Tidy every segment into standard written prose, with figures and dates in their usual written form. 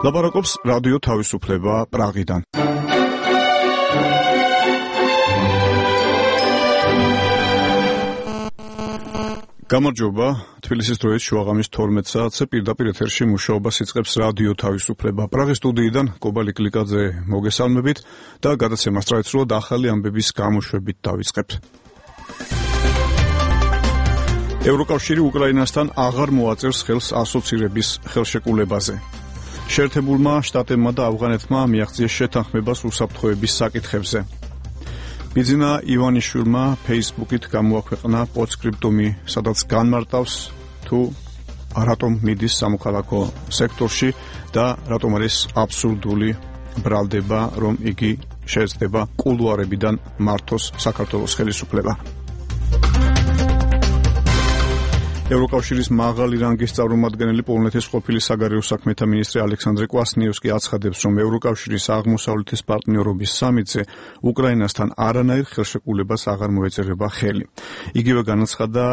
ლაპარაკობს რადიო თავისუფლება პრაღიდან. გამარჯობა, თბილისის დროის შუაღამის 12 საათზე პირდაპირ ეთერში მუშაობას იწყებს რადიო თავისუფლება. პრაღის სტუდიიდან კობალი კლიკაძე მოგესალმებით და გადაცემას წაეცვლოთ ახალი ამბების გამოშვებით დავიწყებთ. ევროკავშირი უკრაინასთან აღარ მოაწერს ხელს ასოცირების ხელშეკრულებაზე. შეერთებულმა შტატებმა და ავღანეთმა მიაღწიეს შეთანხმებას უსაფრთხოების საკითხებზე. ბიძინა ივანიშვილმა Facebook-ით გამოაქვეყნა პოსტსკრიპტუმი, სადაც განმარტავს თუ რატომ მიდის სამოქალაქო სექტორში და რატომ არის აბსურდული ბრალდება, რომ იგი შეეცდება კულუარებიდან მართოს საქართველოს ხელისუფლება. ევროკავშირის მაღალი რანგის წარმომადგენელი პოლონეთის ყოფილი საგარეო საქმეთა მინისტრი ალექსანდრე კვასნიევსკი აცხადებს, რომ ევროკავშირის აღმოსავლეთის პარტნიორობის სამიტზე უკრაინასთან არანაირ ხელშეკრულებას აღარ მოეწერება ხელი. იგივე განაცხადა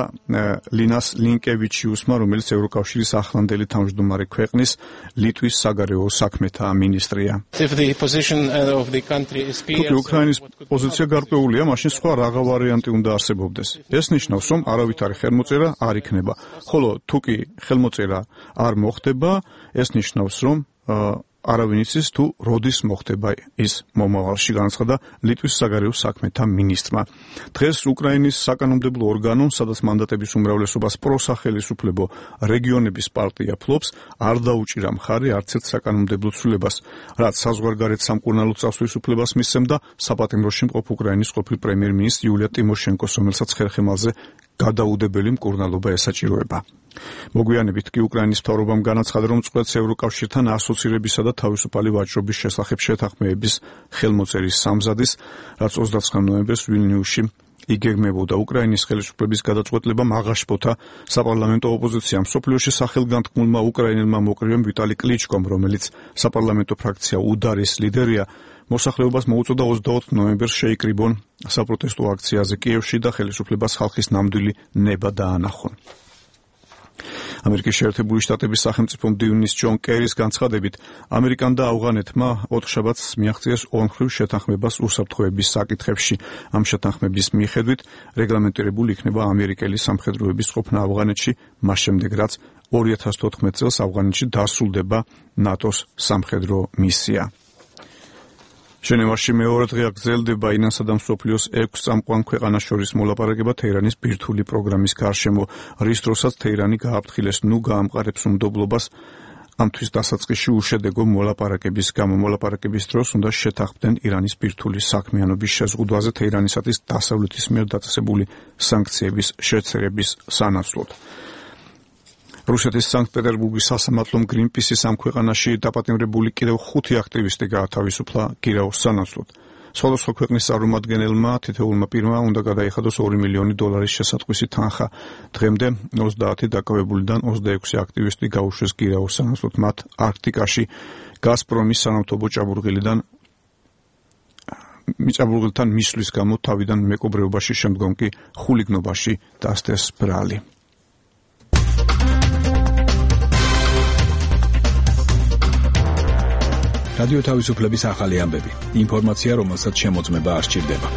ლინას ლინკევიჩიუსმა, რომელიც ევროკავშირის ახლანდელი თავმჯდომარე ქვეყნის ლიტვის საგარეო საქმეთა მინისტრია. თუ უკრაინის პოზიცია გარკვეულია, მაშინ სხვა რაღა ვარიანტი უნდა არსებობდეს. ეს ნიშნავს, რომ არავითარი ხელმოწერა არ იქნება. ხოლო თუ კი ხელმოწერა არ მოხდება, ეს ნიშნავს, რომ არავინ იცის თუ როდის მოხდება ის მომავალში, განაცხადა ლიტვის საგარეო საქმეთა მინისტრმა. დღეს უკრაინის საკანონმდებლო ორგანო, სადაც მანდატების უმრავლესობას პროსახელისუფლებო რეგიონების პარტია ფლობს, არ დაუჭირა მხარი არც ერთ საკანონმდებლო ცვლილებას, რაც საზღვარგარეთ სამკურნალო წასვლის უფლებას მისცემდა საპატიმროში მყოფ უკრაინის ყოფილ პრემიერ-მინისტრ იულია ტიმოშენკოს, რომელსაც ხერხემალზე გადაუდებელი მკურნალობა ესაჭიროება. მოგვიანებით კი უკრაინის მთავრობამ განაცხადა, რომ წყვეტს ევროკავშირთან ასოცირებისა და თავისუფალი ვაჭრობის შესახებ შეთანხმების ხელმოწერის სამზადის, რაც 29 ნოემბერს ვილნიუსში იგეგმებოდა. უკრაინის ხელისუფლების გადაწყვეტილება აღაშფოთა საპარლამენტო ოპოზიციამ. მსოფლიოში სახელგანთქმულმა უკრაინელმა მოკრივემ ვიტალი კლიჩკომ, რომელიც საპარლამენტო ფრაქცია უდარის ლიდერია, მოსახლეობას მოუწოდა 24 ნოემბერს შეიკრიბონ საპროტესტო აქციაზე კიევში და ხელისუფლებას ხალხის ნამდვილი ნება დაანახონ. ამერიკის შეერთებული შტატების სახელმწიფო მდივნის ჯონ კერის განცხადებით, ამერიკამ და ავღანეთმა ოთხშაბათს მიაღწიეს ორმხრივ შეთანხმებას უსაფრთხოების საკითხებში. ამ შეთანხმების მიხედვით რეგლამენტირებული იქნება ამერიკელი სამხედროების ყოფნა ავღანეთში, მას შემდეგ რაც 2014 წელს ავღანეთში დასრულდება ნატოს სამხედრო მისია. ჟენევაში მეორე დღე გრძელდება ინანსა და მსოფლიოს 6 წამყვან ქვეყანას შორის მოლაპარაკება თეირანის ბირთვული პროგრამის გარშემო, რის დროსაც თეირანი გააფრთხილეს ნუ გაამყარებს უმდობლობას ამთვის დასაწყისში უშედეგო მოლაპარაკების გამო. მოლაპარაკების დროს უნდა შეთანხმდნენ ირანის ბირთვული საქმიანობის შეზღუდვაზე თეირანისათვის დასავლეთის მიერ დაწესებული სანქციების შეწირების სანაცვლოდ. რუსეთის სანქტ-პეტერბურგის სასამართლომ გრინპისის ამ ქვეყანაში დაპატიმრებული კიდევ 5 აქტივისტი გაათავისუფლა გირაოს სანაცვლოდ. სხვადასხვა ქვეყნის წარმომადგენელმა თითოეულმა პირმა უნდა გადაიხადოს $2 მილიონი შესატყვისი თანხა. დღემდე 30 დაკავებულიდან 26 აქტივისტი გაუშვეს გირაოს სანაცვლოდ. მათ არქტიკაში გაზპრომის სანავთობო ჭაბურღილთან მისვლის გამო თავიდან მეკობრეობაში, შემდგომ კი ხულიგნობაში დასდეს ბრალი. რადიო თავისუფლების ახალი ამბები. ინფორმაცია, რომელსაც შემოწმება არ სჭირდება.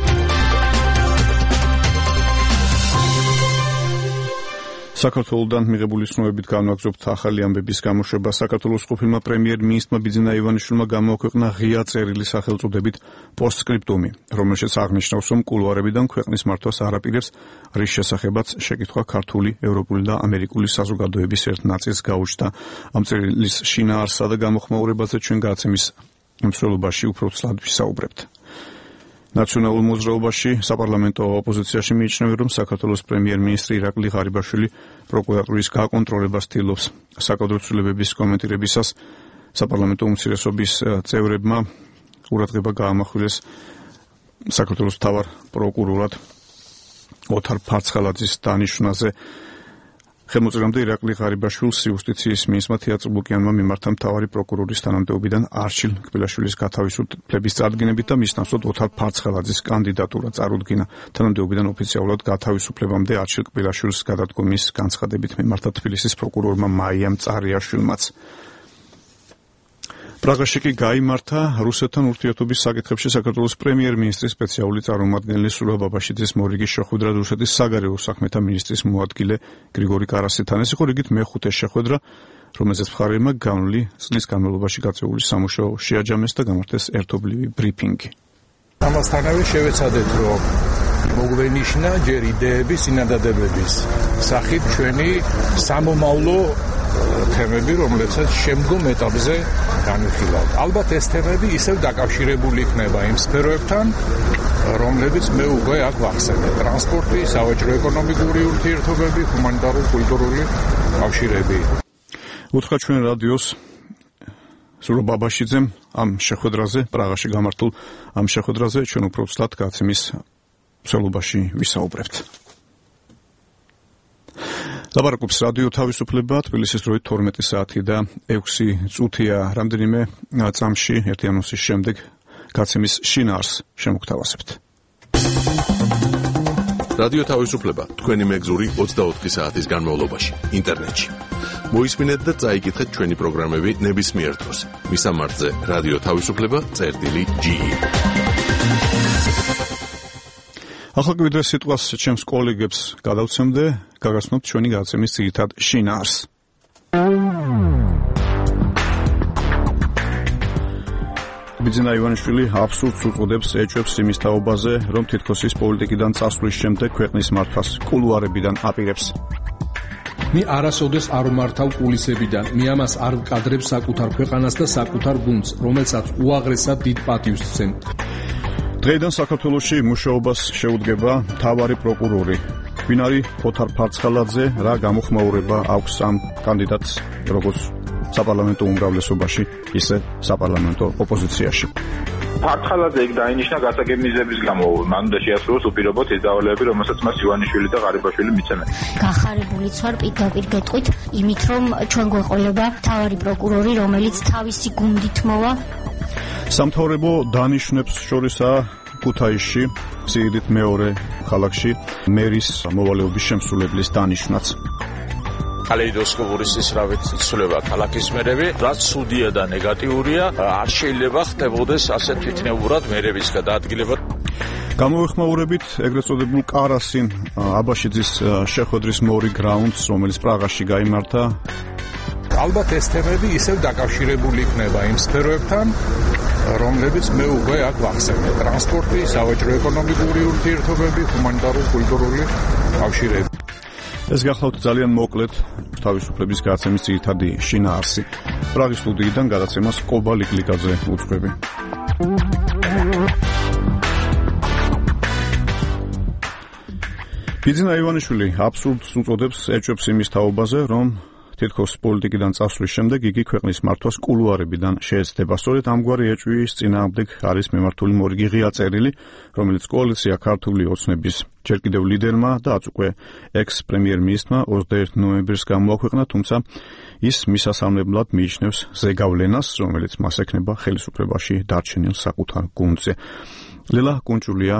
საქართველოსთან მიღებული ცნობებით განვაგრძობთ ახალი ამბების გამოშვება. საქართველოს ყოფილმა პრემიერ-მინისტრმა ბიძინა ივანიშვილმა გამოაქვეყნა ღია წერილი სახელწოდებით პოსტსკრიპტუმი, რომელშიც აღნიშნავს, რომ კულუარებიდან ქვეყნის მართვას არაპირებს, რის შესახებაც შეკითხვა ქართული, ევროპული და ამერიკული საზოგადოების ერთ ნაწილს გაუჩნდა. ამ წერილის შინაარსსა და გამოხმაურებაზე ჩვენ გადაცემის მსვლელობაში უფრო ცალად ვისაუბრებთ. ნაციონალურ მოძრაობაში საპარლამენტო ოპოზიციაში მიიჩნევენ, რომ საქართველოს პრემიერ-მინისტრი ირაკლი ღარიბაშვილი პროკურატურის გაკონტროლებას ცდილობს. საკადრო ცვლილებების კომენტირებისას საპარლამენტო უმცირესობის წევრებმა ყურადღება გაამახვილეს საქართველოს მთავარ პროკურორად ოთარ ფარცხალაძის დანიშვნაზე. ხელმოწერამდე ირაკლი ღარიბაშვილს იუსტიციის მინისტრმა თეატრ ლუკიანმა მიმართა მთავარი პროკურორის თანამდებობიდან არჩილ კბილაშვილის გათავისუფლების წარდგინებით და მის ნაცვლად ოთარ ფარცხალაძის კანდიდატურა წარუდგინა. თანამდებობიდან ოფიციალურად გათავისუფლებამდე არჩილ კბილაშვილის გადადგომის განცხადებით მიმართა თბილისის პროკურორმა მაიამ წარიაშვილმაც. პრაღაში კი გაიმართა რუსეთთან ურთიერთობის საკითხებში საქართველოს პრემიერ-მინისტრის სპეციალური წარმომადგენელი სულა ბაბაშიძის მორიგის შეხვედრა რუსეთის საგარეო საქმეთა მინისტრის მოადგილე გრიგორი კარასითან. ეს იყო რიგით მეხუთე შეხვედრა, რომელზეც მხარეებმა განვლილი წლის განმავლობაში გაწეული სამუშაო შეაჯამეს და გამართეს ერთობლივი ბრიფინგი. ამასთანავე შევეცადეთ, რომ მოგვენიშნა ჯერ იდეების, წინადადებების სახით ჩვენი სამომავლო თემები, რომლებსაც შემდგომ ეტაპზე განვიხილავთ. ალბათ ეს თემები ისევ დაკავშირებული იქნება იმ სფეროებთან, რომლებიც მე უკვე აქ ვახსენე: ტრანსპორტი, სავაჭრო-ეკონომიკური ურთიერთობები, ჰუმანიტარულ-კულტურული კავშირები. უთხრა ჩვენ რადიოს სულა ბაბაშიძემ ამ შეხვედრაზე, პრაღაში გამართულ ამ შეხვედრაზე ჩვენ უფრო ცუდად გაცემის მსვლელობაში ვისაუბრებთ. ლაპარაკობს რადიო თავისუფლება, თბილისის დროით 12 საათი და 6 წუთია. რამდენიმე წამში ერთი ანონსის შემდეგ გაცემის შინაარს შემოგთავაზებთ. რადიო თავისუფლება, თქვენი მეგზური 24 საათის განმავლობაში, ინტერნეტში. მოისმინეთ და წაიკითხეთ ჩვენი პროგრამები ნებისმიერ დროს. მისამართზე რადიო თავისუფლება.ge. ახლა კი ვიდრე სიტყვას ჩემს კოლეგებს გადავცემდე, გაგაცნობთ ჩვენი გადაცემის ძირითად შინაარს. ბიძინა ივანიშვილი აბსურდს უწოდებს, ეჭვებს იმის თაობაზე, რომ თითქოს ის პოლიტიკიდან წასვლის შემდეგ ქვეყნის მართვას კულუარებიდან აპირებს. მე არასოდეს არ ვმართავ კულისებიდან, მე ამას არ ვკადრებ საკუთარ ქვეყანას და საკუთარ გუნდს, რომელსაც უაღრესად დიდ პატივს ვცემ. დღეიდან საქართველოში მუშაობას შეუდგება მთავარი პროკურორი. ვინ არის ოთარ ფარცხალაძე, რა გამოხმაურება აქვს ამ კანდიდატს, როგორც საპარლამენტო უმრავლესობაში, ისე საპარლამენტო ოპოზიციაში. ფარცხალაძე იქ დაინიშნა გასაგები მიზების გამო, მან უნდა შეასრულოს უპირობოდ ის დავალებები, რომელსაც მას ივანიშვილი და ღარიბაშვილი მიცემენ. გახარებულიც ვარ პირდაპირ გეტყვით, იმით რომ ჩვენ გვეყოლება მთავარი პროკურორი, რომელიც თავისი გუნდით მოვა. სამთავრობო დანიშნებს შორისაა ქუთაისში, სიდიდით მეორე ქალაქში, მერის მოვალეობის შემსრულებლის დანიშნაც. კალეიდოსკოპური სისრავით იცვლება ქალაქის მერები, რაც ცუდია და ნეგატიურია, არ შეიძლება ხდებოდეს ასე თვითნებურად მერების გადაადგილება. გამოვეხმაურებით ეგრეთ წოდებულ კარასინ აბაშიძის შეხვედრის მორი გრაუნდს, რომელიც პრაღაში გაიმართა. ალბათ ეს თემები ისევ დაკავშირებული იქნება იმ სფეროებთან, რომლებიც მე უკვე აქ ვახსენე: ტრანსპორტი, სავაჭრო-ეკონომიკური ურთიერთობები, ჰუმანიტარულ-კულტურული კავშირები. ეს გახლავთ ძალიან მოკლედ თავისუფლების გადაცემის ძირითადი შინაარსი. პრაღის სტუდიიდან გადაცემას კობა ლიკლიკაძე უძღვები. ბიძინა ივანიშვილი აბსურდს უწოდებს, ეჭვებს იმის თაობაზე, რომ თითქოს პოლიტიკიდან წასვლის შემდეგ იგი ქვეყნის მართვას კულუარებიდან შეეცდება. სწორედ ამგვარი ეჭვის წინააღმდეგ არის მიმართული მორიგი ღია წერილი, რომელიც კოალიცია ქართული ოცნების ჯერ კიდევ ლიდერმა და აც უკვე ექს-პრემიერ-მინისტრმა 21 ნოემბერს გამოაქვეყნა, თუმცა ის მისასალმებლად მიიჩნევს ზეგავლენას, რომელიც მას ექნება ხელისუფლებაში დარჩენილ საკუთარ გუნდზე. ლელა კუნჭულია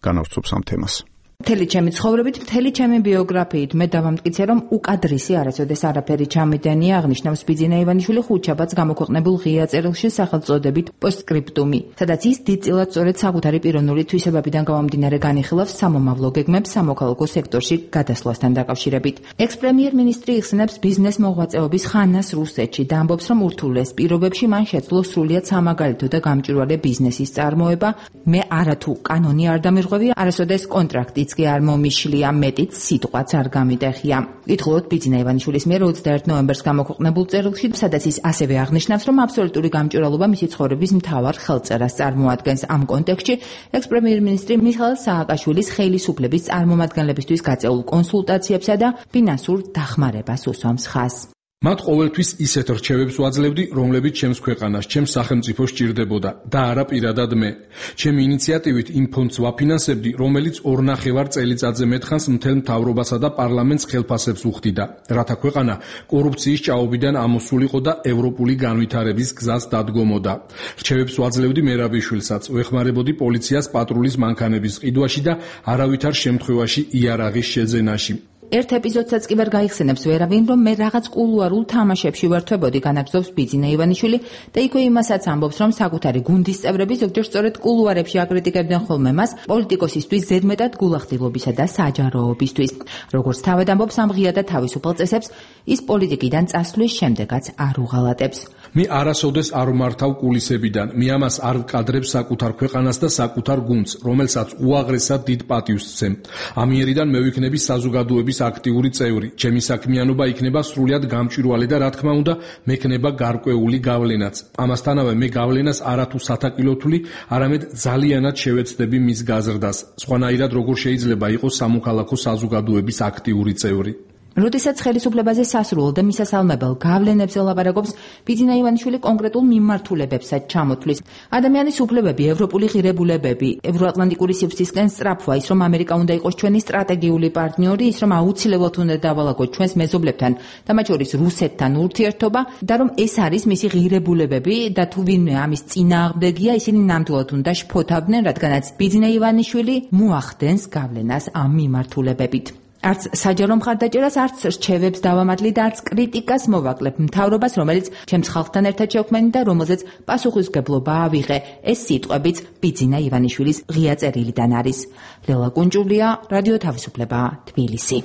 განავრცობს ამ თემას. მთელი ჩემი ცხოვრებით, მთელი ჩემი ბიოგრაფიით მე დავამტკიცე, რომ უკადრისი არასოდეს არაფერი ჩამიდენია, აღნიშნავს ბიძინა ივანიშვილი ხუთშაბათს გამოქვეყნებულ ღია წერილში სახელწოდებით პოსტსკრიპტუმი, სადაც ის დიდწილად სწორედ საკუთარი პიროვნული თვისებებიდან გამომდინარე განიხილავს სამომავლო გეგმებს სამოქალაქო სექტორში გადასვლასთან დაკავშირებით. ექს-პრემიერ-მინისტრი იხსენებს ბიზნეს მოღვაწეობის ხანას რუსეთში და ამბობს, რომ ურთულეს პირობებში მან შეძლო სრულიად სამაგალითო და გამჭვირვალე ბიზნესის წარმოება. მე არათუ კანონი არ დამირღვევი, არასოდეს კონტრაქტი კი არ მომიშლია, მეტიც სიტყვაც არ გამიტეხია. ითხოვოთ ბიძინა ივანიშვილის მიერ 21 ნოემბერს გამოქვეყნებულ წერილში, სადაც ის ასევე აღნიშნავს, რომ აბსოლუტური გამჭვირვალობა მისი ცხოვრების მთავარ ხელწერას წარმოადგენს. ამ კონტექსტში ექს-პრემიერ-მინისტრი მიხაილ სააკაშვილის ხელისუფლების წარმომადგენლებისთვის გაწეულ კონსულტაციებსა და ფინანსურ დახმარებას უსვამს ხაზს. მათ ყოველთვის ისეთ რჩევებს ვაძლევდი, რომლებიც ჩემს ქვეყანას, ჩემს სახელმწიფოს სჭირდებოდა და არა პირადად მე. ჩემი ინიციატივით იმ ფონდს ვაფინანსებდი, რომელიც 2.5 წელიწადზე მეტხანს მთელ მთავრობასა და პარლამენტს ხელფასებს უხდიდა, რათა ქვეყანა კორუფციის ჭაობიდან ამოსულიყო და ევროპული განვითარების გზას დადგომოდა. რჩევებს ვაძლევდი მერაბიშვილსაც, ვეხმარებოდი პოლიციას პატრულის მანქანების ყიდვაში და არავითარ შემთხვევაში იარაღის შეძენაში. ერთ ეპიზოდსაც კი ვერ გაიხსენებს ვერავინ, რომ მე რაღაც კულუარულ თამაშებში ვერთვებოდი, განაგრძობს ბიძინა ივანიშვილი და იქვე იმასაც ამბობს, რომ საკუთარი გუნდის წევრები ზოგჯერ სწორედ კულუარებში აკრიტიკებდნენ ხოლმე მას პოლიტიკოსისთვის ზედმეტად გულახდილობისა და საჯაროობისთვის. როგორც თავად ამბობს ამ ღია და თავისუფალ წესებს, ის პოლიტიკიდან წასვლის შემდეგაც არ უღალატებს. მე არასოდეს არ მართავ კულისებიდან, მე ამას არ ვკადრებს საკუთარ ქვეყანას და საკუთარ გუნდს, რომელსაც უაღრესად დიდ პატივს ვცემ. ამიერიდან მე ვიქნები საზოგადოების აქტიური წევრი, ჩემი საქმიანობა იქნება სრულიად გამჭვირვალე და რა თქმა უნდა, მექნება გარკვეული გავლენაც. ამასთანავე მე გავლენას არათუ სათაკილოთვლი, არამედ ძალიანად შევეცდები მის გაზრდას. სხვანაირად როგორ შეიძლება იყოს სამოქალაქო საზოგადოების აქტიური წევრი. როდესაც ხელისუფლებაზე სასრულ და მისასალმებელ გავლენებზე ლაპარაკობს, ბიძინა ივანიშვილი კონკრეტულ მიმართულებებსაც ჩამოთვლის. ადამიანის უფლებები, ევროპული ღირებულებები, ევროატლანტიკური სივრცისკენ სწრაფვა, ის რომ ამერიკა უნდა იყოს ჩვენი სტრატეგიული პარტნიორი, ის რომ აუცილებლად უნდა დავალაგოთ ჩვენს მეზობლებთან და მათ შორის რუსეთთან ურთიერთობა და რომ ეს არის მისი ღირებულებები და თუ ვინმე ამის წინააღმდეგია, ისინი ნამდვილად უნდა შფოთავდნენ, რადგანაც ბიძინა ივანიშვილი მოახდენს გავლენას ამ მიმართულებებით. არც საჯარო მხარდაჭერას, არც რჩევებს დავამატლი და არც კრიტიკას მოვაკლებ მთავრობას, რომელიც ჩემს ხალხთან ერთად შექმენი და რომელზეც პასუხისმგებლობა ავიღე. ეს სიტყვებიც ბიძინა ივანიშვილის ღია წერილიდან არის. ლელა კუნჭულია, რადიო თავისუფლება, თბილისი.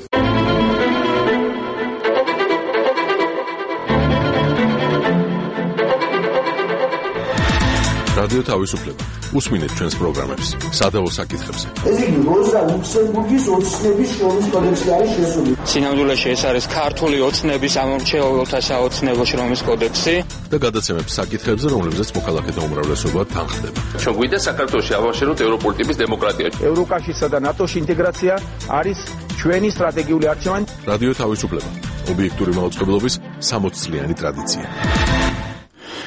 რადიო თავისუფლება. უსმინეთ ჩვენს პროგრამებს სადავო საკითხებზე. ეს იგი როზა ლუქსემბურგის ოცნების შრომის კოდექსი არის შესული. სინამდვილეში ეს არის ქართული ოცნების ამორჩეულთა საოცნებო შრომის კოდექსი და გადაცემებს საკითხებზე, რომლებზეც მოქალაქეთა უმრავლესობა თანხდება. ჩვენ გვინდა საქართველოში ავაშენოთ ევროპული ტიპის დემოკრატია. ევროკავშირსა და ნატოში ინტეგრაცია არის ჩვენი სტრატეგიული არჩევანი. რადიო თავისუფლება. ობიექტური მაუწყებლობის 60 წლიანი ტრადიცია.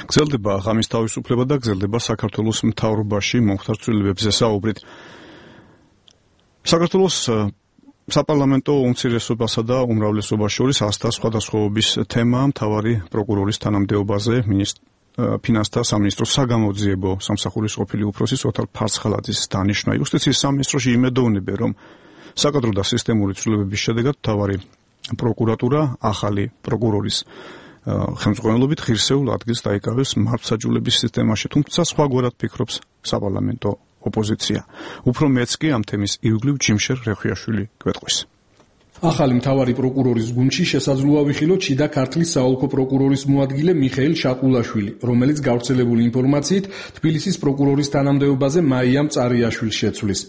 გრძელდება ღამის თავისუფლება და გრძელდება საქართველოს მთავრობაში მომხდარ ცვლილებებზე საუბრით. საქართველოს საპარლამენტო უმცირესობასა და უმრავლესობას შორის ასთა სხვადასხვაობის თემა მთავარი პროკურორის თანამდებობაზე ფინანსთა სამინისტროს საგამოძიებო სამსახურის ყოფილი უფროსის ოთარ ფარცხალაძის დანიშვნა. იუსტიციის სამინისტროში იმედოვნებენ, რომ საკადრო და სისტემური ცვლილებების შედეგად მთავარი პროკურატურა ახალი პროკურორის ხელმძღვანელობით ღირსეულ ადგილს დაიკავებს მართლმსაჯულების სისტემაში, თუმცა სხვაგვარად ფიქრობს საპარლამენტო ოპოზიცია. უფრო მეც კი ამ თემის ირგვლივ ჯიმშერ რეხვიაშვილი გვეტყვის. ახალი მთავარი პროკურორის გუნდში შესაძლოა ვიხილოთ შიდა ქართლის საოლქო პროკურორის მოადგილე მიხეილ შაყულაშვილი, რომელიც გავრცელებული ინფორმაციით თბილისის პროკურორის თანამდებობაზე მაიამ წარიაშვილს შეცვლის.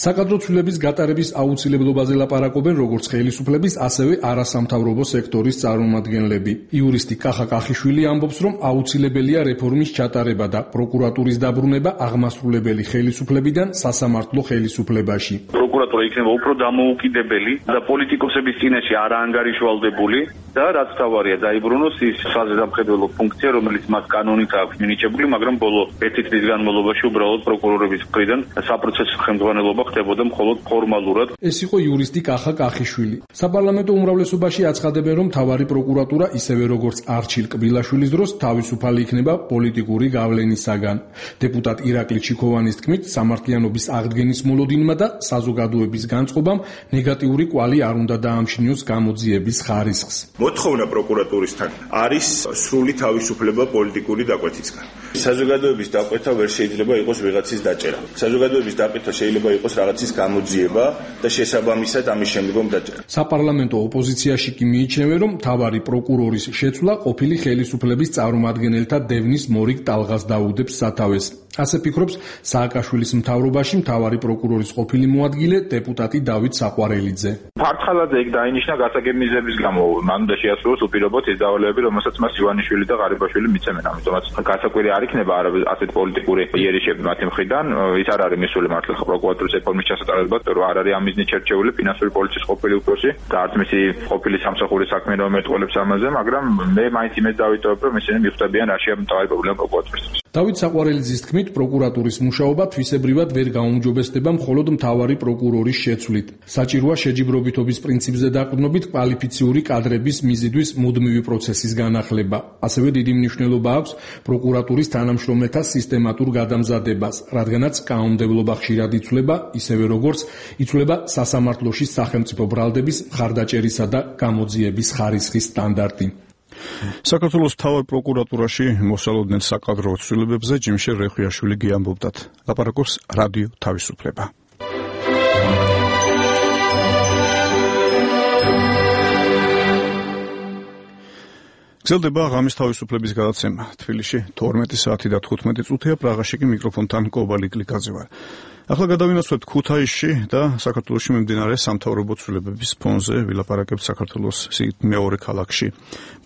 საკადრო ცვლილების გატარების აუცილებლობაზე ლაპარაკობენ როგორც ხელისუფლების, ასევე არასამთავრობო სექტორის წარმომადგენლები. იურისტი კახა კახიშვილი ამბობს, რომ აუცილებელია რეფორმის ჩატარება და პროკურატურის დაბრუნება აღმასრულებელი ხელისუფლებიდან სასამართლო ხელისუფლებაში. პროკურატურა იქნება უფრო დამოუკიდებელი და პოლიტიკოსების წინაშე არ ანგარიშვალდებული და რაც თავარია დაიბრუნოს ის საზედამხედველო ფუნქცია, რომელიც მას კანონით აქვს მინიჭებული, მაგრამ ბოლო 1 წლის განმავლობაში უბრალოდ პროკურორების მხრიდან საპროცესო ხელმძღვანელობა ხდებოდა მხოლოდ ფორმალურად. ეს იყო იურისტი კახა კახიშვილი. საპარლამენტო უმრავლესობაში აცხადებენ, რომ მთავარი პროკურატურა ისევე როგორც არჩილ კბილაშვილის დროს თავისუფალი იქნება პოლიტიკური გავლენისაგან. დეპუტატ ირაკლი ჩიქოვანის თქმით, სამართლიანობის აღდგენის მოლოდინმა და საზოგადოების განწყობამ ნეგატიური კვალი არ უნდა დაამშნიოს გამოძიების ხარისხს. მოთხოვნა პროკურატურისთან არის სრული თავისუფლება პოლიტიკური დაკვეთისგან. საზოგადოების დაკვეთა ვერ შეიძლება იყოს ვიღაცის დაჭერა. საზოგადოების დაკვეთა შეიძლება იყოს რაღაცის გამოძიება და შესაბამისად ამის შემდგომ დაჭერა. საპარლამენტო ოპოზიციაში კი მიიჩნევენ, რომ მთავარი პროკურორის შეცვლა ყოფილი ხელისუფლების წარმომადგენელთა დევნის მორიგ ტალღას დაუდებს სათავეს. ასე ფიქრობს სააკაშვილის მთავრობაში მთავარი პროკურორის ყოფილი მოადგილე დეპუტატი დავით საყვარელიძე. ფარცხალაძე იქ დაინიშნა გასაგებ მიზების გამო, მან უნდა შეასრულოს უპირობოდ ის დავალებები, რომელსაც მას ივანიშვილი და ღარიბაშვილი მიცემენ. ამიტომაც გასაკვირი არ იქნება ასეთ პოლიტიკური იერიშები მათი მხრიდან. ის არ არის მისული მართლა პროკურატურის რეფორმის ჩასატარებლად, რომ არ არის ამ მიზნით შერჩეული ფინანსური პოლიციის ყოფილი უფროსი და არც მისი ყოფილი სამსახურის საქმიანობა მეტყველებს ამაზე, მაგრამ მე მაინც იმედს დავიტოვებ, რომ ისინი მიხვდებიან რაშია მთავარი პრობლემა პროკურატურისთვის. დავით საყვარელიძის თქმით, პროკურატურის მუშაობა თვისებრივად ვერ გაუმჯობესდება მხოლოდ მთავარი პროკურორის შეცვლით. საჭიროა შეჯიბრობითობის პრინციპზე დაყრდნობით კვალიფიციური კადრების მიზიდვის მუდმივი პროცესის განახლება. ასევე დიდი მნიშვნელობა აქვს პროკურატურის თანამშრომლთა სისტემატურ გადამზადებას, რადგანაც კანონმდებლობა ხშირად იცვლება, ისევე როგორც იცვლება სასამართლოში სახელმწიფო ბრალდების მხარდაჭერისა და გამოძიების ხარისხის სტანდარტი. საქართველოს მთავარ პროკურატურაში მოსალოდნელ საკადრო ცვლილებებზე ჯიმშე რეხვიაშვილი გიამბობდათ. ლაპარაკობს რადიო თავისუფლება. გრძელდება ღამის თავისუფლების გადაცემა. თბილისში 12 საათი და 15 წუთია, პრაღაში კი მიკროფონთან კობალი კლიკაძე ვარ. ახლა გადავინაცვლეთ ქუთაისში და საქართველოში მიმდინარე სამთავრობო ცვლილებების ფონზე ვილაპარაკებთ საქართველოს მეორე ქალაქში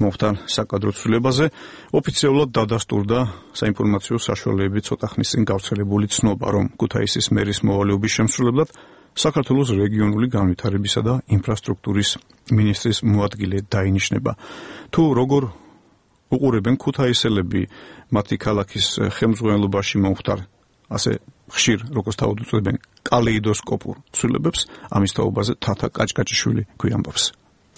მომხდარ საკადრო ცვლილებაზე. ოფიციალურად დადასტურდა საინფორმაციო საშუალებები ცოტა ხნის წინ გავრცელებული ცნობა, რომ ქუთაისის მერის მოვალეობის შემსრულებლად საქართველოს რეგიონული განვითარებისა და ინფრასტრუქტურის მინისტრის მოადგილე დაინიშნება. თუ როგორ უყურებენ ქუთაისელები მათი ქალაქის ხელმძღვანელობაში მომხდარ ასე ხშირ, როგორც თავად უწოდებენ, კალეიდოსკოპურ ცვლილებებს, ამის თაობაზე თათა კაჭკაჭიშვილი გვიამბობს.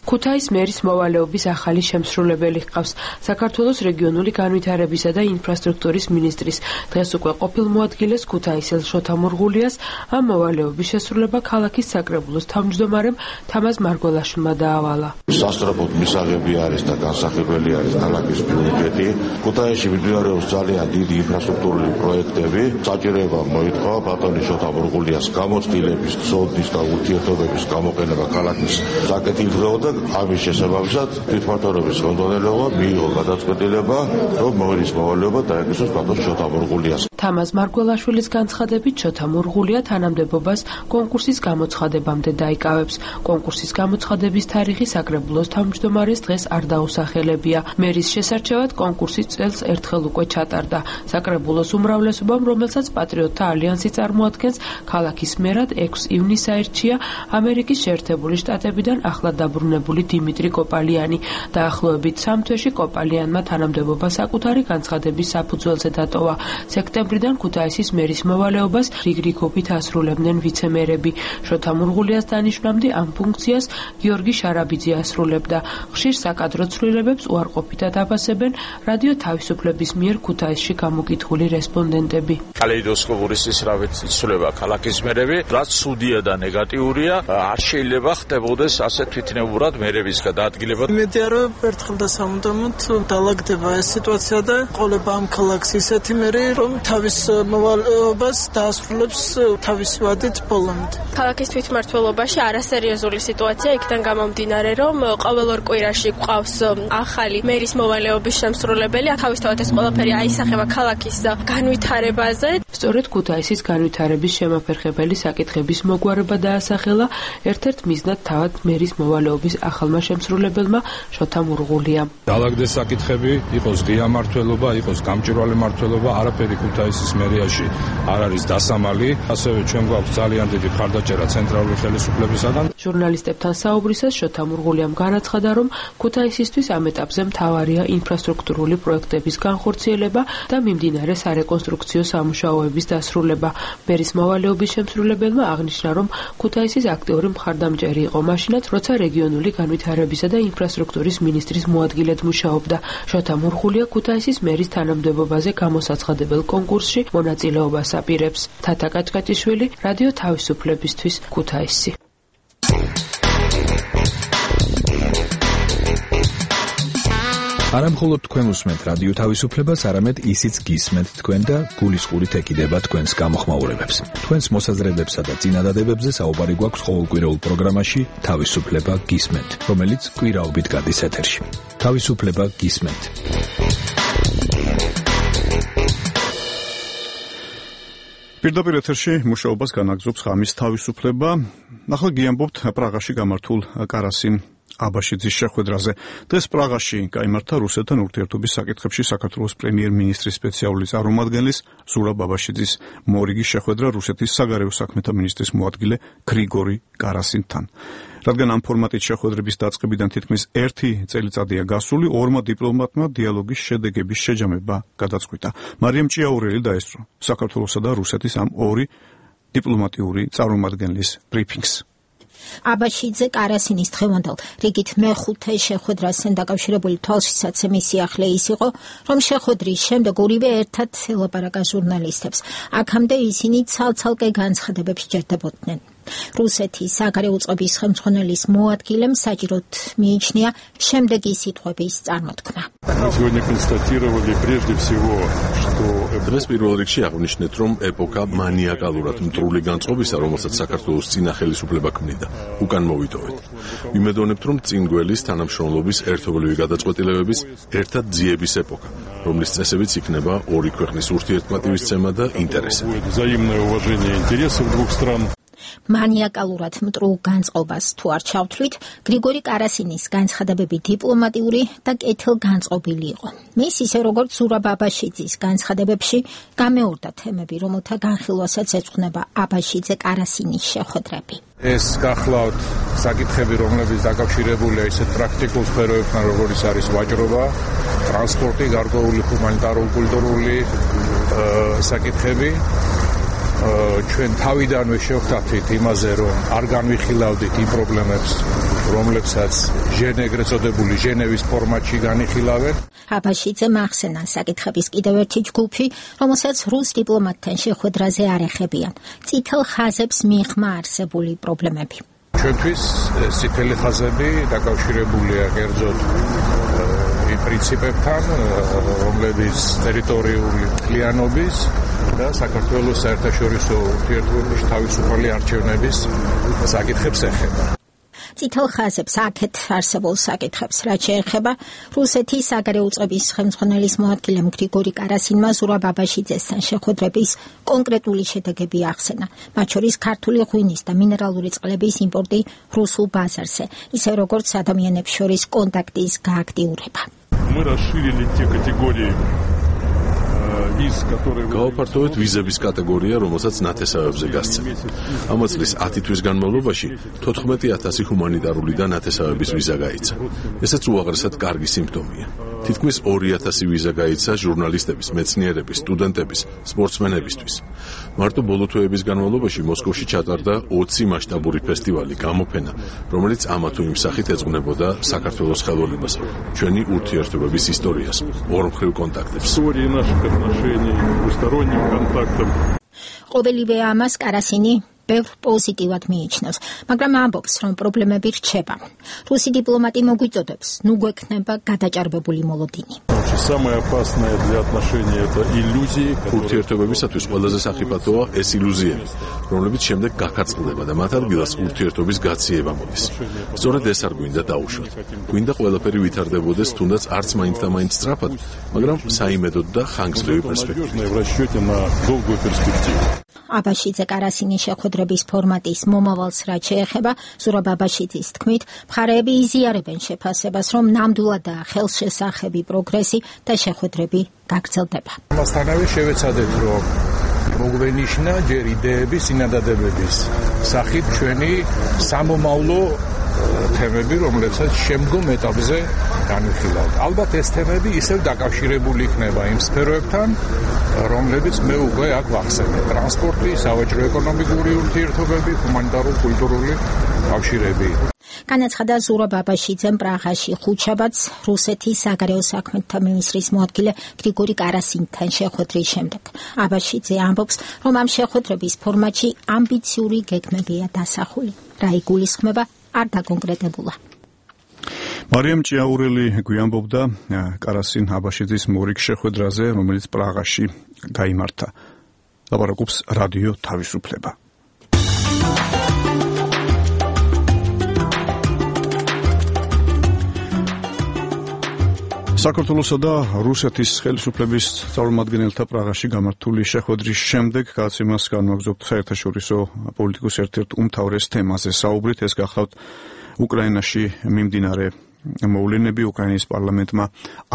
ქუთაის მერის მოვალეობის ახალი შემსრულებელი ჰყავს საქართველოს რეგიონული განვითარებისა და ინფრასტრუქტურის მინისტრის დღეს უკვე ყოფილ მოადგილეს ქუთაისელ შოთა მურღულიას ამ მოვალეობის შესრულება ქალაქის საკრებულოს თავმჯდომარემ თამაზ მარგველაშვილმა დაავალა. სასწრაფოდ მისაღები არის და განსახილველი არის ქალაქის ბიუჯეტი. ქუთაისში მიმდინარეობს ძალიან დიდი ინფრასტრუქტურული პროექტები. საჭიროება მოითხოვა ბატონი შოთა მურღულიას გამოცდილების, ცოდნის და ურთიერთობების გამოყენება ქალაქის საკეთილდღეოდ. ამის შესაბამისად თვითმმართველობის ხელმძღვანელობა მიიღო გადაწყვეტილება, რომ მერის მოვალეობა დაეკისროს ბატონ შოთა მურღულიას. თამაზ მარგველაშვილის განცხადებით, შოთა მურღულია თანამდებობას კონკურსის გამოცხადებამდე დაიკავებს. კონკურსის გამოცხადების თარიღი საკრებულოს თავმჯდომარეს დღეს არ დაუსახელებია. მერის შესარჩევად კონკურსი წელს ერთხელ უკვე ჩატარდა. საკრებულოს უმრავლესობამ, რომელსაც პატრიოტთა ალიანსი წარმოადგენს, ქალაქის მერად 6 ივნისს აირჩია ამერიკის შეერთებული შტატებიდან ახლა დაბრუნებული დიმიტრი კოპალიანი. დაახლოებით 3 თვეში კოპალიანმა თანამდებობა საკუთარი განცხადების საფუძველზე დატოვა. სექტემბრიდან ქუთაისის მერის მოვალეობას რიგრიგობით ასრულებდნენ ვიცემერები. შოთა მურღულიას დანიშვნამდე ამ ფუნქციას გიორგი შარაბიძე ასრულებდა. ხშირ საკადრო ცვლილებებს უარყოფითად აფასებენ რადიო თავისუფლების მიერ ქუთაისში გამოკითხული რესპონდენტები. კალეიდოსკოპური სისწრაფით იცვლება ქალაქის მერები, რაც ცუდია და ნეგატიურია, არ შეიძლება ხდებოდეს ასე თვითნებურად მერების გადაადგილება. იმედია, რომ ერთხელ და სამუდამოდ დაალაგდება ეს სიტუაცია და ყოლება ამ ქალაქს ისეთი მერი, რომ თავის მოვალეობას დაასრულებს თავისი ვადით ბოლომდე. ქალაქის თვითმმართველობაში არასერიოზული სიტუაცია იქიდან გამომდინარე, რომ ყოველ ორ კვირაში გვყავს ახალი მერის მოვალეობის შემსრულებელი. თავისთავად ეს ყველაფერი აისახება ქალაქის განვითარებაზე. სწორედ ქუთაისის განვითარების შემაფერხებელი საკითხების მოგვარება დაასახელა ერთ-ერთ მიზნად თავად მერის მოვალეობის ახალმა შემსრულებელმა შოთა მურღულიამ. დაალაგდეს საკითხები, იყოს ღია მმართველობა, იყოს გამჭვირვალე მმართველობა, არაფერი ქუთაისის მერიაში არ არის დასამალი. ასევე ჩვენ გვაქვს ძალიან დიდი მხარდაჭერა ცენტრალური ხელისუფლებისაგან. ჟურნალისტებთან საუბრისას შოთა მურღულიამ განაცხადა, რომ ქუთაისისთვის ამ ეტაპზე მთავარია ინფრასტრუქტურული პროექტების განხორციელება და მიმდინარე სარეკონსტრუქციო სამუშაოების დასრულება. მერის მოვალეობის შემსრულებელმა აღნიშნა, რომ ქუთაისის აქტიური მხარდამჭერი იყო მაშინაც, როცა რეგიონული განვითარებისა და ინფრასტრუქტურის მინისტრის მოადგილედ მუშაობდა. შოთა მურღულია ქუთაისის მერის თანამდებობაზე გამოსაცხადებელ კონკურსში მონაწილეობას აპირებს. თათა კაჭკაჭიშვილი, რადიო თავისუფლებისთვის, ქუთაისი. არა მხოლოდ თქვენ უსმენთ რადიო თავისუფლებას, არამედ ისიც გისმენთ თქვენ და გულისხმობით ეკიდება თქვენს გამოხმაურებებს. თქვენს მოსაზრებებსა და წინადადებებზე საუბარი გვაქვს ყოველკვირეულ პროგრამაში თავისუფლება გისმენთ, რომელიც კვირაობით გადის ეთერში. თავისუფლება გისმენთ. პირდაპირ ეთერში მუშაობას განაგრძობს ღამის თავისუფლება. ახლა გიამბობთ პრაღაში გამართულ კარასინ აბაშიძის შეხვედრაზე. დღეს პრაღაში გაიმართა რუსეთთან ურთიერთობის საკითხებში საქართველოს პრემიერ-მინისტრის სპეციალური წარმომადგენლის ზურაბ აბაშიძის მორიგი შეხვედრა რუსეთის საგარეო საქმეთა მინისტრის მოადგილე გრიგორი კარასინთან. რადგან ამ ფორმატით შეხვედრების დაწყებიდან თითქმის 1 წელიწადია გასული, ორმა დიპლომატმა დიალოგის შედეგების შეჯამება გადაწყვიტა. მარიამ ჭიაურელი დაესწრო საქართველოსა და რუსეთის ამ ორი დიპლომატიური წარმომადგენლის ბრიფინგს. აბაშიძე კარასინის დღევანდელ რიგით მეხუთე შეხვედრასთან დაკავშირებული თვალშისაცემის სიახლე ის იყო, რომ შეხვედრის შემდეგ ორივე ერთად ელაპარაკა ჟურნალისტებს. აქამდე ისინი ცალ-ცალკე განცხადებებს ჯერდებოდნენ. რუსეთის საგარეო წყობის ხელმძღვანელის მოადგილემ საჭიროდ მიიჩნია შემდეგი სიტყვების წარმოთქმა. დღეს პირველ რიგში აღვნიშნეთ, რომ ეპოქა მანიაკალურად მტრული განწყობისა, რომელსაც საქართველოს წინა ხელისუფლება ქმნიდა, უკან მოვიტოვეთ. ვიმედოვნებთ, რომ წინგველის თანამშრომლობის ერთობლივი გადაწყვეტილებების ერთად ძიების ეპოქა, რომლის წესებიც იქნება ორი ქვეყნის ურთიერთმატივისცემა და ინტერესები. მანიაკალურად მტრულ განწყობას თუ არ ჩავთვლით, გრიგორი კარასინის განცხადებები დიპლომატიური და კეთილგანწყობილი იყო. მის ისე როგორც ზურაბ აბაშიძის განცხადებებში გამეორდა თემები, რომელთა განხილვასაც ეძღვნება აბაშიძე კარასინის შეხვედრები. ეს გახლავთ საკითხები, რომლებიც დაკავშირებულია ისეთ პრაქტიკულ სფეროებთან, როგორიც არის ვაჭრობა, ტრანსპორტი, გარკვეული ჰუმანიტარულ-კულტურული საკითხები. ჩვენ თავიდანვე შევხვდით იმაზე, რომ არ განვიხილავდით იმ პრობლემებს, რომლებსაც ეგრეთ წოდებული ჟენევის ფორმატში განიხილავენ. აბაშიძემ ახსენა საკითხების კიდევ ერთი ჯგუფი, რომელსაც რუს დიპლომატთან შეხვედრაზე არ ეხებიან. წითელ ხაზებს მიღმა არსებული პრობლემები. ჩვენთვის წითელი ხაზები დაკავშირებულია კერძოდ იმ პრინციპებთან, რომლებიც ტერიტორიული მთლიანობის და საქართველოს საერთაშორისო ურთიერთობების თავისუფალი არჩევნების საკითხებს ეხება. წითელ ხაზებს აქეთ არსებულ საკითხებს, რაც შეეხება რუსეთის საგარეო წყობის ხელმძღვანელის მოადგილემ გრიგორი კარასინმა ზურაბ აბაშიძესთან შეხვედრების კონკრეტული შედეგები ახსენა, მათ შორის ქართული ღვინის და მინერალური წყლების იმპორტი რუსულ ბაზარზე, ისე როგორც ადამიანებს შორის კონტაქტის გააქტიურება. გავაფართოვეთ ვიზების კატეგორია, რომელსაც ნათესავებზე გასცემთ. ამ წლის 10 თვის განმავლობაში 14,000 ჰუმანიტარული და ნათესავების ვიზა გაიცა. ესეც უაღრესად კარგი სიმპტომია. თითქმის 2,000 ვიზა გაიცა ჟურნალისტების, მეცნიერების, სტუდენტების, სპორტსმენებისთვის. მარტო ბოლო თვეების განმავლობაში მოსკოვში ჩატარდა 20 მასშტაბური ფესტივალი, გამოფენა, რომელიც ამა თუ იმ სახით ეძღვნებოდა საქართველოს ხელოვნებას, ჩვენი ურთიერთობების ისტორიას, ორმხრივ კონტაქტებს. ყოველივე ამას კარასინი ბევრ პოზიტივად მიიჩნევს, მაგრამ ამბობს, რომ პრობლემები რჩება. რუსი დიპლომატი მოგვიწოდებს, ნუ გვექნება გადაჭარბებული მოლოდინი. ურთიერთობებისათვის ყველაზე სახიფათოა ეს ილუზიები, რომლებიც შემდეგ გაქაწყლდება და მათ ადგილას ურთიერთობის გაციება მოდის. სწორედ ეს არ გვინდა დაუშვათ. გვინდა ყველაფერი ვითარდებოდეს, თუნდაც არც მაინც და მაინც სწრაფად, მაგრამ საიმედოდ და ხანგრძლივი პერსპექტივით. აბაშიძე კარასინის შეხვედრების ფორმატის მომავალს რაც შეეხება, ზურაბ აბაშიძის თქმით, მხარეები იზიარებენ შეფასებას, რომ ნამდვილადაა ხელშესახები პროგრესი და შეხვედრები გაგრძელდება. მასთანავე შევეცადეთ, რომ მოგვენიშნა ჯერ იდეების, წინადადებების სახით ჩვენი სამომავლო თემები, რომლებსაც შემდგომ ეტაპზე განვიხილავთ. ალბათ ეს თემები ისევ დაკავშირებული იქნება იმ სფეროებთან, რომლებიც მე უკვე აქ ვახსენე: ტრანსპორტი, სავაჭრო-ეკონომიკური ურთიერთობები, ჰუმანიტარულ-კულტურული კავშირები. განაცხადა ზურაბ აბაშიძემ პრაღაში ხუთშაბათს რუსეთის საგარეო საქმეთა მინისტრის მოადგილე გრიგორი კარასინთან შეხვედრის შემდეგ. აბაშიძე ამბობს, რომ ამ შეხვედრების ფორმატში ამბიციური გეგმებია დასახული. რა იგულისხმება არ დაკონკრეტებულა. მარიამ ჭიაურელი გვიამბობდა კარასინ აბაშიძის მორიგ შეხვედრაზე, რომელიც პრაღაში გაიმართა. ლაპარაკობს რადიო თავისუფლება. საქართველოსა და რუსეთის ხელისუფლების წარმომადგენელთა პრაღაში გამართული შეხვედრის შემდეგ გადაცემას განვაგრძობთ საერთაშორისო პოლიტიკის ერთ-ერთ უმთავრეს თემაზე საუბრით. ეს გახლავთ უკრაინაში მიმდინარე მოვლენები უკრაინის პარლამენტმა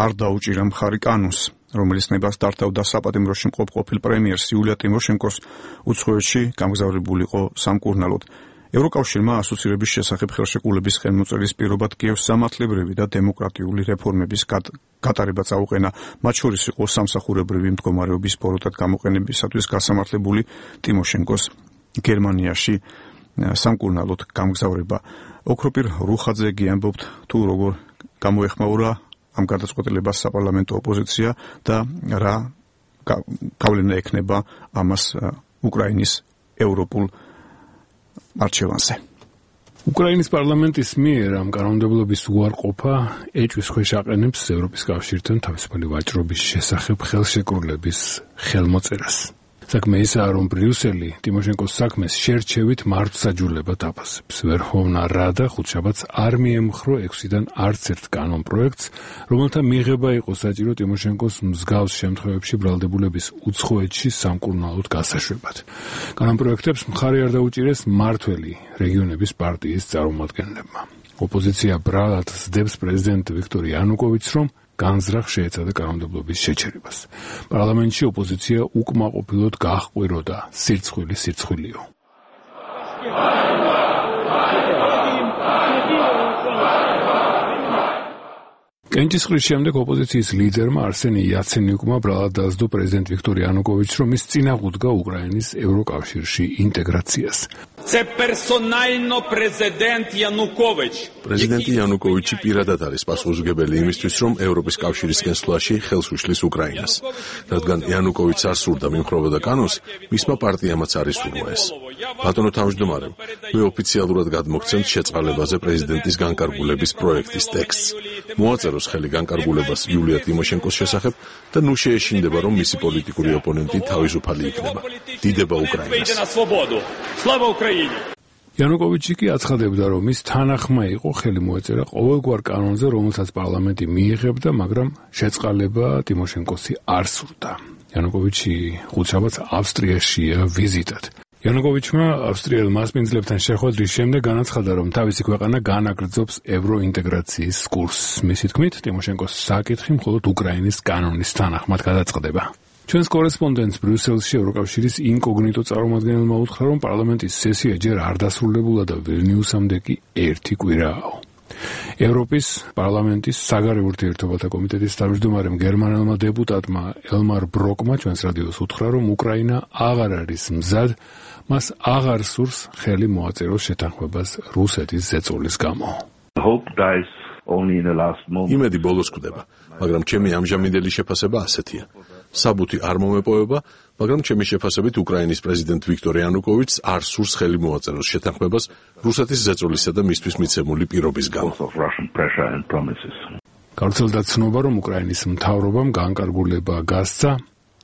არ დაუჭირა მხარი კანონს, რომელიც ნებას დართავდა საპატიმროში მყოფ ყოფილ პრემიერს იულია ტიმოშენკოს უცხოეთში გამგზავრებულიყო სამკურნალოდ. ევროკავშირმა ასოცირების შესახებ ხელშეკრულების ხელმოწერის პირობად კიევს სამართლებრივი და დემოკრატიული რეფორმების გატარება წაუყენა, მათ შორის იყო სამსახურებრივი მდგომარეობის ბოროტად გამოყენებისათვის გასამართლებული ტიმოშენკოს გერმანიაში სამკურნალოდ გამგზავრება. ოქროპირ რუხაძეგი ამბობთ თუ როგორ გამოეხმაურა ამ გადაწყვეტილებას საპარლამენტო ოპოზიცია და რა გავლენა ექნება ამას უკრაინის ევროპულ არჩევანზე. უკრაინის პარლამენტის მიერ ამ კანონმდებლობის უარყოფა ეჭვის ქვეშ აყენებს ევროპის კავშირთან თავისუფალი ვაჭრობის შესახებ ხელშეკრულების ხელმოწერას. საქმე ისაა, რომ ბრიუსელი ტიმოშენკოს საქმეს შერჩევით მართლმსაჯულებად აფასებს. ვერჰოვნა რადა ხუთშაბათს არ მიემხრო 6-დან არც ერთ კანონ პროექტს, რომელთა მიღება იყო საჭირო ტიმოშენკოს მსგავს შემთხვევებში ბრალდებულების უცხოეთში სამკურნალოდ გასაშვებად. კანონ პროექტებს მხარი არ დაუჭირეს მმართველი რეგიონების პარტიის წარმომადგენლებმა. ოპოზიცია ბრალად სდებს პრეზიდენტ ვიქტორ იანუკოვიჩს, რომ განზრახ შეეცადა კანონმდებლობის შეჩერებას. პარლამენტში ოპოზიცია უკმაყოფილოდ გაჰყვიროდა სირცხვილიო. კენჭისყრის შემდეგ ოპოზიციის ლიდერმა არსენი იაცენიუკმა ბრალად დაასდო პრეზიდენტ ვიქტორ იანუკოვიჩს, რომ ის წინააღმდეგა უკრაინის ევროკავშირში ინტეგრაციას. პრეზიდენტი იანუკოვიჩი პირადად არის პასუხისმგებელი იმისთვის, რომ ევროპის კავშირის გენსვლაში ხელს უშლის უკრაინას. რადგან იანუკოვიჩს არ სურდა მიმხრობოდა კანონს, მისმა პარტიამაც არ ისურვა ეს. ბატონო თავმჯდომარე, მე ოფიციალურად გადმოგცემთ შეწყალებაზე პრეზიდენტის განკარგულების პროექტის ტექსტს. მოაწეროს ხელი განკარგულებას იულია ტიმოშენკოს შესახებ და ნუ შეეშინდება, რომ მისი პოლიტიკური ოპონენტი თავისუფალი იქნება. დიდება უკრაინას. იანუკოვიჩი კი აცხადებდა, რომ ის თანახმა იყო ხელი მოეწერა ყოველგვარ კანონზე, რომელსაც პარლამენტი მიიღებდა, მაგრამ შეწყალება ტიმოშენკოსი არ სურდა. იანუკოვიჩი ხუთშაბათს ავსტრიაშია ვიზიტად. იანუკოვიჩმა ავსტრიელ მასპინძლებთან შეხვედრის შემდეგ განაცხადა, რომ თავისი ქვეყანა განაგრძობს ევროინტეგრაციის კურსს. მისი თქმით, ტიმოშენკოს საკითხი მხოლოდ უკრაინის კანონის თანახმად გადაწყდება. ჩვენს კორესპონდენტს ბრიუსელში ევროკავშირის ინკოგნიტო წარმომადგენელმა უთხრა, რომ პარლამენტის სესია ჯერ არ დასრულებულა და ვილნიუსამდე კი 1 კვირააო. ევროპის პარლამენტის საგარეო ურთიერთობათა კომიტეტის თავმჯდომარემ გერმანელმა დეპუტატმა ელმარ ბროკმა ჩვენს რადიოს უთხრა, რომ უკრაინა აღარ არის მზად, მას აღარ სურს ხელი მოაწეროს შეთანხმებას რუსეთის ზეწოლის გამო. იმედი ბოლოს კვდება, მაგრამ ჩემი ამჟამინდელი შეფასება ასეთია. საბუთი არ მომეპოვება, მაგრამ ჩემი შეფასებით უკრაინის პრეზიდენტ ვიქტორ იანუკოვიჩს არ სურს ხელი მოაწეროს შეთანხმებას რუსეთის ზეწოლისა და მისთვის მიცემული პირობის გამო. გავრცელდა ცნობა, რომ უკრაინის მთავრობამ განკარგულება გასცა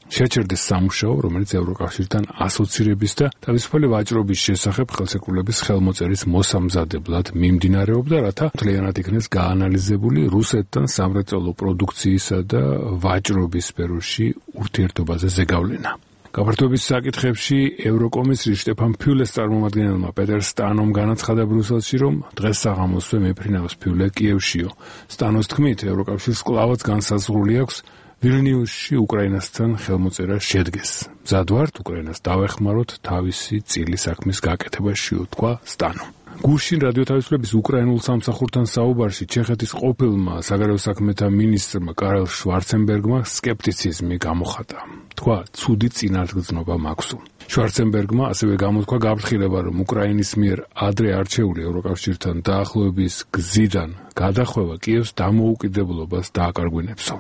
შეჩერდეს სამუშაო, რომელიც ევროკავშირთან ასოცირების და თავისუფალი ვაჭრობის შესახებ ხელშეკრულების ხელმოწერის მოსამზადებლად მიმდინარეობდა, რათა მთლიანად იქნეს გაანალიზებული რუსეთთან სამრეწველო პროდუქციისა და ვაჭრობის სფეროში ურთიერთობაზე ზეგავლენა. გაფართოების საკითხებში ევროკომისრის შტეფან ფიულეს წარმომადგენელმა პეტერ სტანომ განაცხადა ბრიუსელში, რომ დღეს საღამოსვე მეფრინავს ფიულე კიევშიო. სტანოს თქმით, ევროკავშირს კვლავაც განსაზღვრული აქვს ვილნიუსში უკრაინასთან ხელმოწერა შედგეს. მზად ვართ უკრაინას დავეხმაროთ თავისი წილი საქმის გაკეთებაში, თქვა სტანომ. გუშინ რადიო თავისუფლების უკრაინულ სამსახურთან საუბარში ჩეხეთის ყოფილმა საგარეო საქმეთა მინისტრმა კარელ შვარცენბერგმა სკეპტიციზმი გამოხატა. თქვა, ცუდი წინარდგზნობა მაქვსო. შვარცენბერგმა ასევე გამოთქვა გაფრთხილება, რომ უკრაინის მიერ ადრე არჩეული ევროკავშირთან დაახლოების გზიდან გადახვევა კიევს დამოუკიდებლობას დააკარგვინებსო.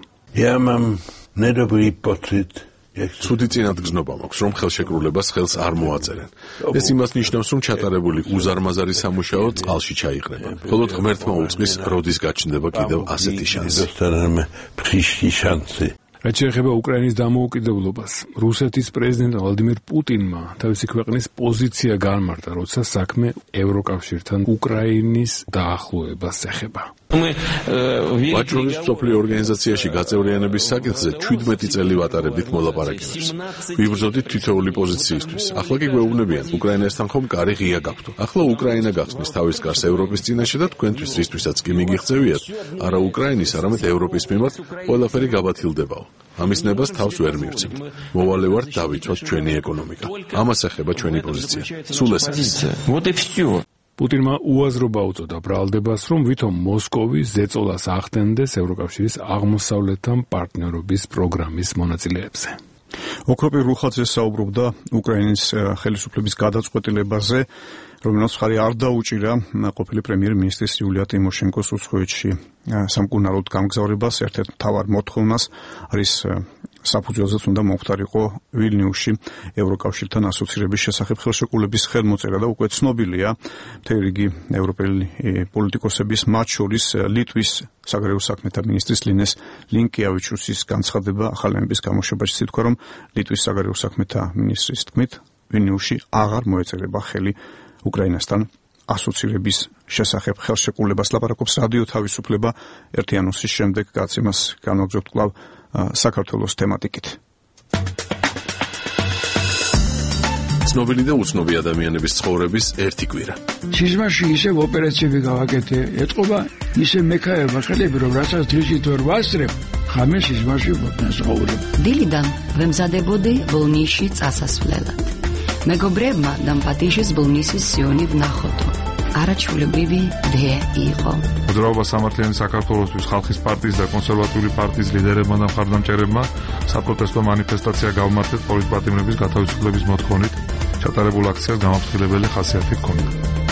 ცუდი წინადგზნობა მაქვს, რომ ხელშეკრულებას ხელს არ მოაწერენ. ეს იმას ნიშნავს, რომ ჩატარებული უზარმაზარი სამუშაო წყალში ჩაიყრება. მხოლოდ ღმერთმა უწყის, როდის გაჩნდება კიდევ ასეთი შანსი. რაც შეეხება უკრაინის დამოუკიდებლობას, რუსეთის პრეზიდენტ ვლადიმირ პუტინმა თავისი ქვეყნის პოზიცია განმარტა, როცა საქმე ევროკავშირთან უკრაინის დაახლოებას ეხება. ვაჭრობის მსოფლიო ორგანიზაციაში გაწევრიანების საკითხზე 17 წელი ვატარებდით მოლაპარაკებებს. ვიბრძოდით თითოეული პოზიციისთვის. ახლა კი გვეუბნებიან, უკრაინასთან ხომ კარი ღია გაქვთ. ახლა უკრაინა გახსნის თავის კარს ევროპის წინაშე და თქვენთვის რისთვისაც კი მიგიღწევიათ, არა უკრაინის, არამედ ევროპის მიმართ ყველაფერი გაბათილდებაო. ამის ნებას თავს ვერ მივცემთ. მოვალე ვართ დავიცვათ ჩვენი ეკონომიკა. ამას ეხება ჩვენი პოზიცია. სულ ეს არის. პუტინმა უაზრობა უწოდა ბრალდებას, რომ ვითომ მოსკოვი ზეწოლას ახდენდეს ევროკავშირის აღმოსავლეთთან პარტნიორობის პროგრამის მონაწილეებზე. ოქროპირ რუხაძე საუბრობდა უკრაინის ხელისუფლების გადაწყვეტილებაზე, რომელსაც ხარი არ დაუჭირა ყოფილი პრემიერ-მინისტრის იულია ტიმოშენკოს უცხოეთში სამკურნალოდ გამგზავრებას. ერთ-ერთ მთავარ მოთხოვნას არის საფუძველზეც უნდა მომხდარიყო ვილნიუსში ევროკავშირთან ასოცირების შესახებ ხელშეკრულების ხელმოწერა და უკვე ცნობილია მთელი რიგი ევროპელი პოლიტიკოსების, მათ შორის ლიტვის საგარეო საქმეთა მინისტრის ლინეს ლინკიავიჩუსის განცხადება ახალენების გამოშვებაში ითქვა, რომ ლიტვის საგარეო საქმეთა მინისტრის თქმით ვილნიუსში აღარ მოეწერება ხელი უკრაინასთან ასოცირების შესახებ ხელშეკრულებას. ლაპარაკობს რადიო თავისუფლება ერთი ანონსის შემდეგ, გაცემას განვაგრძობთ კვლავ საქართველოს თემატიკით. ცნობილი და უცნობი ადამიანების ცხოვრების ერთი კვირა. სიზმარში ისევ ოპერაციები გავაკეთე, ეთყობა ისე მექაერმა ხელები, რომ რასაც დღისით ვერ ვასწრებ, ხამე სიზმარში ვცხოვრობ. დილიდან ვემზადებოდი ბოლნისში წასასვლელად. მეგობრებმა დამპატიშის ბოლნისის სიონი ვნახოთო. არაჩვეულებრივი დე იყო. მოძრაობა სამართლიანი საქართველოსთვის ხალხის პარტიის და კონსერვატიული პარტიის ლიდერებმა და მხარდამჭერებმა საპროტესტო მანიფესტაცია გავმართეთ პოლიტპატიმრების გათავისუფლების მოთხოვნით. ჩატარებულ აქციას გამაფრთხილებელი ხასიათი ჰქონდა.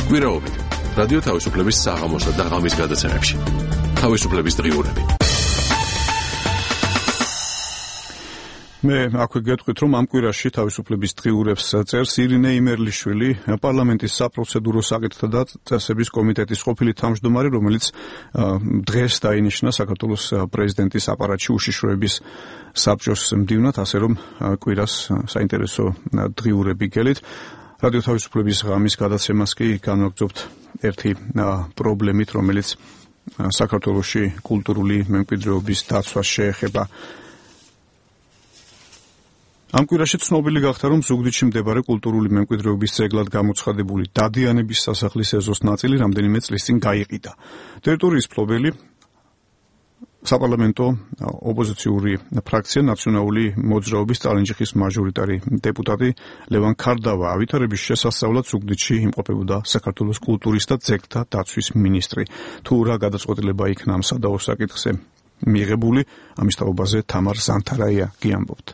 კვირაობით რადიო თავისუფლების საღამოსა და ღამის გადაცემებში. თავისუფლების დღიურები. მე აქვე გეტყვით, რომ ამ კვირაში თავისუფლების დღიურებს წერს ირინე იმერლიშვილი, პარლამენტის საპროცედურო საკითხთა და წესების კომიტეტის ყოფილი თავმჯდომარე, რომელიც დღეს დაინიშნა საქართველოს პრეზიდენტის აპარატში უშიშროების საბჭოს მდივნად, ასე რომ კვირას საინტერესო დღიურები გელით. რადიო თავისუფლების ღამის გადაცემას კი განვაგრძობთ ერთი პრობლემით, რომელიც საქართველოში კულტურული მემკვიდრეობის დაცვას შეეხება. ამ კვირაში ცნობილი გახდა, რომ ზუგდიდში მდებარე კულტურული მემკვიდრეობის ძეგლად გამოცხადებული დადიანების სასახლის ეზოს ნაწილი რამდენიმე წლის წინ გაიყიდა. ტერიტორიის მფლობელი საპარლამენტო ოპოზიციური ფრაქცია ნაციონალური მოძრაობის წალენჯიხის მაჟორიტარი დეპუტატი ლევან ქარდავა ავითარების შესასწავლად ზუგდიდში იმყოფებოდა საქართველოს კულტურის და ძეგლთა დაცვის მინისტრი. თუ რა გადაწყვეტილება იქნა ამ სადავო საკითხზე მიღებული, ამის თაობაზე თამარ ზანთარაია გიამბობთ.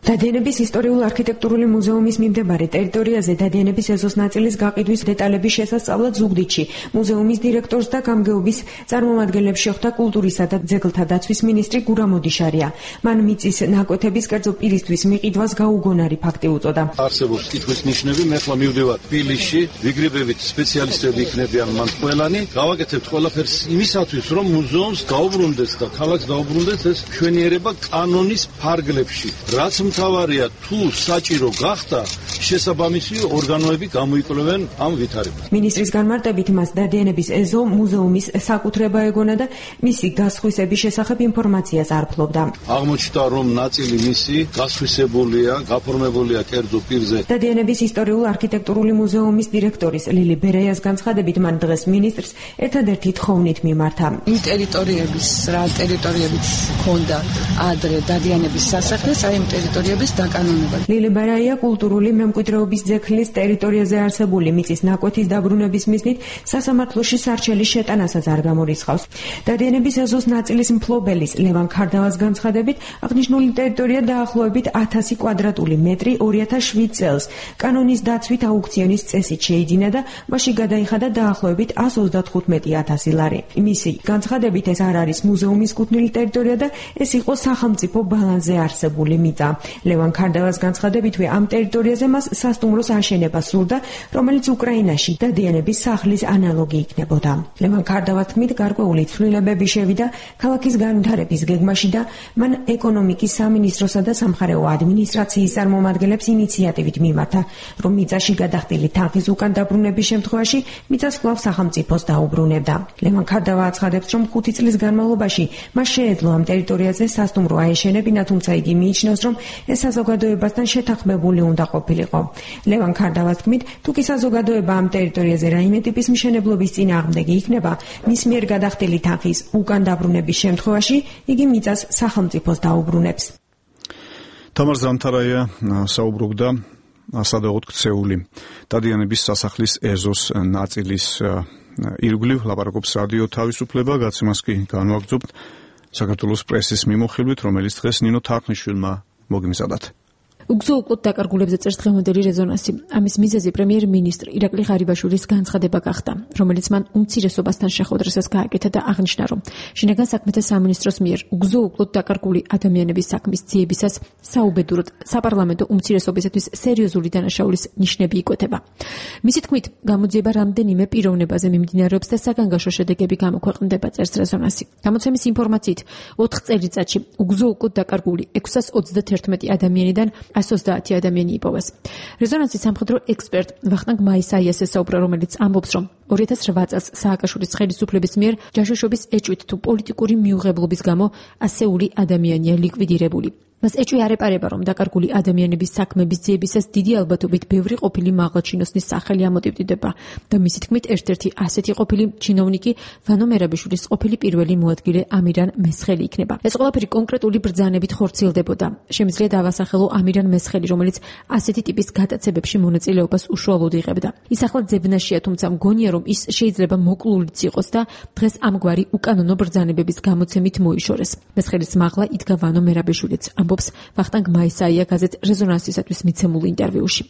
დადიანების ისტორიულ-არქიტექტურული მუზეუმის მიმდებარე ტერიტორიაზე დადიანების ეზოს ნაწილის გაყიდვის დეტალების შესასწავლად ზუგდიდში მუზეუმის დირექტორს და გამგეობის წარმომადგენლებს შეხვდა კულტურისა და ძეგლთა დაცვის მინისტრი გურამ ოდიშარია. მან მიწის ნაკვეთების კერძო პირისთვის მიყიდვას გაუგონარი ფაქტი უწოდა. არსებობს კითხვის ნიშნები, მე ხლა მივდივარ თბილისში, ვიგრიბებით სპეციალისტები იქნებიან მან ყველანი, გავაკეთებთ ყველაფერს იმისათვის, რომ მუზეუმს გაუბრუნდეს და ქალაქს გაუბრუნდეს ეს მშვენიერება კანონის ფარგლებში. რაც მთავარია, თუ საჭირო გახდა, შესაბამისი ორგანოები გამოიკვლევენ ამ ვითარებას. მინისტრის განმარტებით მას დადიანების ეზო მუზეუმის საკუთრება ეგონა და მისი გასხვისების შესახებ ინფორმაციას არ ფლობდა. აღმოჩნდა, რომ ნაწილი მისი გასხვისებულია, გაფორმებულია კერძო პირზე. დადიანების ისტორიულ-არქიტექტურული მუზეუმის დირექტორის ლილი ბერეიას განცხადებით, მან დღეს მინისტრს ერთადერთი თხოვნით მიმართა. იმ ტერიტორიების, რა ტერიტორიებიც ჰქონდა ადრე დადიანების სასახლეს, აი იმ ტერიტორიების დაკანონება. ლილი ბერეია კულტურული მემკვიდრეობის ძეგლის ტერიტორიაზე არსებული მიწის ნაკვეთის დაბრუნების მიზნით სასამართლოში სარჩელის შეტანასაც არ გამორიცხავს. დადიანების ეზოს ნაწილის მფლობელის ლევან ქარდავას განცხადებით, აღნიშნული ტერიტორია დაახლოებით 1000 კვადრატული მეტრი 2007 წელს კანონის დაცვით აუქციონის წესით შეიძინა და მასში გადაიხადა დაახლოებით 135,000 ლარი. მისი განცხადებით ეს არ არის მუზეუმის კუთვნილი ტერიტორია და ეს იყო სახელმწიფო ბალანსზე არსებული მიწა. ლევან ქარდავას განცხადებითვე ამ ტერიტორიაზე მას სასტუმროს აშენება სურდა, რომელიც უკრაინაში დადიანების სახლის ანალოგი იქნებოდა. ლევან ქარდავას თქმით, გარკვეული ცვლილებები შევიდა ქალაქის განვითარების გეგმაში და მან ეკონომიკის სამინისტროსა და სამხარეო ადმინისტრაციის წარმომადგენლებს ინიციატივით მიმართა, რომ მიწაში გადახდილი თანხის უკან დაბრუნების შემთხვევაში მიწას კვლავ სახელმწიფოს დაუბრუნებდა. ლევან ქარდავა აცხადებს, რომ 5 წლის განმავლობაში მას შეეძლო ამ ტერიტორიაზე სასტუმრო აეშენებინა, თუმცა იგი მიიჩნევს, რომ ეს საზოგადოებასთან შეთანხმებული უნდა ყოფილიყო. ლევან ქარდავას თქმით, თუ კი საზოგადოება ამ ტერიტორიაზე რაიმე ტიპის მშენებლობის წინააღმდეგი იქნება, მის მიერ გადახდილი თანხის უკან დაბრუნების შემთხვევაში იგი მიწას სახელმწიფოს დაუბრუნებს. თამარ ზამთარაია საუბრობდა სადაღოთ ქცეული დადიანების სასახლის ეზოს ნაწილის ირგვლივ ლაპარაკობს რადიო თავისუფლება. გაცემას კი განვაგრძობთ საქართველოს პრესის მიმოხილვით, რომელიც დღეს ნინო თარხნიშვილმა მოგიმზადათ. უგზო-უკლოდ დაკარგულებზე წერს დღევანდელი რეზონანსი. ამის მიზეზი პრემიერ-მინისტრ ირაკლი ღარიბაშვილის განცხადება გახდა, რომელიც მან უმცირესობასთან შეხვედრისას გააკეთა და აღნიშნა, რომ შინაგან საქმეთა სამინისტროს მიერ უგზო-უკლოდ დაკარგული ადამიანების საქმის ძიებისას საუბედუროდ საპარლამენტო უმცირესობისათვის სერიოზული დანაშაულის ნიშნები იკვეთება. მისი თქმით, გამოძიება რამდენიმე პიროვნებაზე მიმდინარეობს და საგანგაშო შედეგები გამოქვეყნდება, წერს რეზონანსი. გამოცემის ინფორმაციით, 4 წელიწადში უგზო-უკლოდ დაკარგული 631 ადამიანიდან 130 ადამიანი იპოვეს. რეზონანსის სამხედრო ექსპერტ ვახტანგ მაისაიას ესაუბრა, რომელიც ამბობს, რომ 2008 წელს სააკაშვილის ხელისუფლების მიერ ჯაშუშობის ეჭვით თუ პოლიტიკური მიუღებლობის გამო ასეული ადამიანია ლიკვიდირებული. მას ეჭვი არ ეპარება, რომ დაკარგული ადამიანების საქმების ძიებისას დიდი ალბათობით ბევრი ყოფილი მაღალჩინოსნის სახელი ამოტივტივდება და მისი თქმით, ერთ-ერთი ასეთი ყოფილი ჩინოვნიკი ვანო მერაბიშვილის ყოფილი პირველი მოადგილე ამირან მესხელი იქნება. ეს ყველაფერი კონკრეტული ბრძანებით ხორციელდებოდა. შემიძლია დავასახელო ამირან მესხელი, რომელიც ასეთი ტიპის გატაცებებში მონაწილეობას უშუალოდ იღებდა. ის ახლა ძებნაშია, თუმცა მგონია, რომ ის შეიძლება მოკლულიც იყოს და დღეს ამგვარი უკანონო ბრძანებების გამოცემით მოიშორეს. მესხელის მაღლა იდგა ვანო მერაბიშვილიც. ამბობს ვახტანგ მაისაია გაზეთ რეზონანსისათვის მიცემულ ინტერვიუში.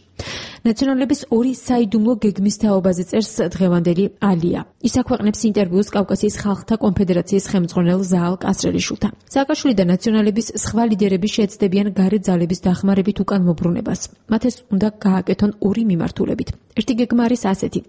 ნაციონალების ორი საიდუმლო გეგმის თაობაზე წერს დღევანდელი ალია. ის აქვეყნებს ინტერვიუს კავკასიის ხალხთა კონფედერაციის ხელმძღვანელ ზაალ კასრელიშვილთან. სააკაშვილი და ნაციონალების სხვა ლიდერები შეეცდებიან გარე ძალების დახმარებით უკან მობრუნებას. მათ ეს უნდა გააკეთონ ორი მიმართულებით. ერთი გეგმა არის ასეთი.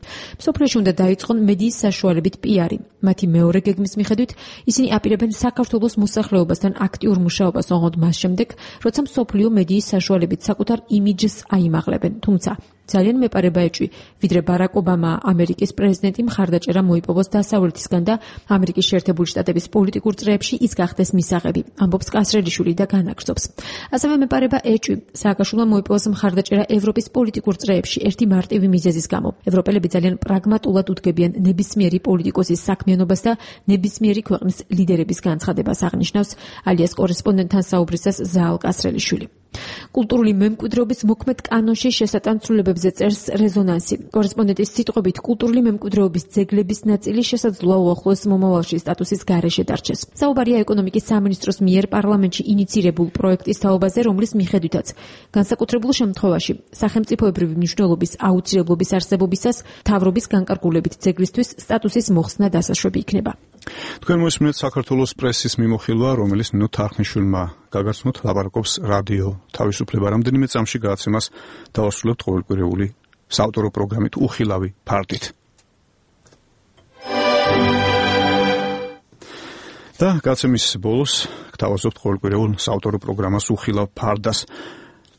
მსოფლიოში უნდა დაიწყონ მედიის საშუალებით პიარი. მათი მეორე გეგმის მიხედვით ისინი აპირებენ საქართველოს მოსახლეობასთან აქტიურ მუშაობას ოღონდ მას შემდეგ, როცა მსოფლიო მედიის საშუალებით საკუთარ იმიჯს აიმაღლებენ. თუმცა ძალიან მეპარება ეჭვი, ვიდრე ბარაკ ობამა ამერიკის პრეზიდენტი მხარდაჭერა მოიპოვოს დასავლეთისგან და ამერიკის შეერთებული შტატების პოლიტიკურ წრეებში ის გახდეს მისაღები, ამბობს კასრელიშვილი და განაგრძობს. ასევე მეპარება ეჭვი, სააკაშვილმა მოიპოვოს მხარდაჭერა ევროპის პოლიტიკურ წრეებში ერთი მარტივი მიზეზის გამო. ევროპელები ძალიან პრაგმატულად უდგებიან ნებისმიერი პოლიტიკოსის საქმიანობას და ნებისმიერი ქვეყნის ლიდერების განცხადებას, აღნიშნავს ალიას კორესპონდენტთან საუბრისას ზაალ კასრელიშვილი. კულტურული მემკვიდრეობის მოქმედ კანონში შესატანცვლებებზე წერს რეზონანსი. კორესპონდენტის სიტყვებით, კულტურული მემკვიდრეობის ძეგლების ნაწილი შესაძლოა უახლოეს მომავალში სტატუსის გარეშე დარჩეს. საუბარია ეკონომიკის სამინისტროს მიერ პარლამენტში ინიცირებულ პროექტის თაობაზე, რომლის მიხედვითაც განსაკუთრებულ შემთხვევაში სახელმწიფოებრივი მნიშვნელობის აუცილებლობის არსებობისას მთავრობის განკარგულებით ძეგლისთვის სტატუსის მოხსნა დასაშვები იქნება. თქვენ მოისმინეთ საქართველოს პრესის მიმოხილვა, რომელიც ნინო თარხნიშვილმა გაგაცნოთ, ლაპარაკობს რადიო თავისუფლება. რამდენიმე წამში გადაცემას დავასრულებთ ყოველკვირეული საავტორო პროგრამით უხილავი ფარდით. და გადაცემის ბოლოს გთავაზობთ ყოველკვირეულ საავტორო პროგრამას უხილავ ფარდას.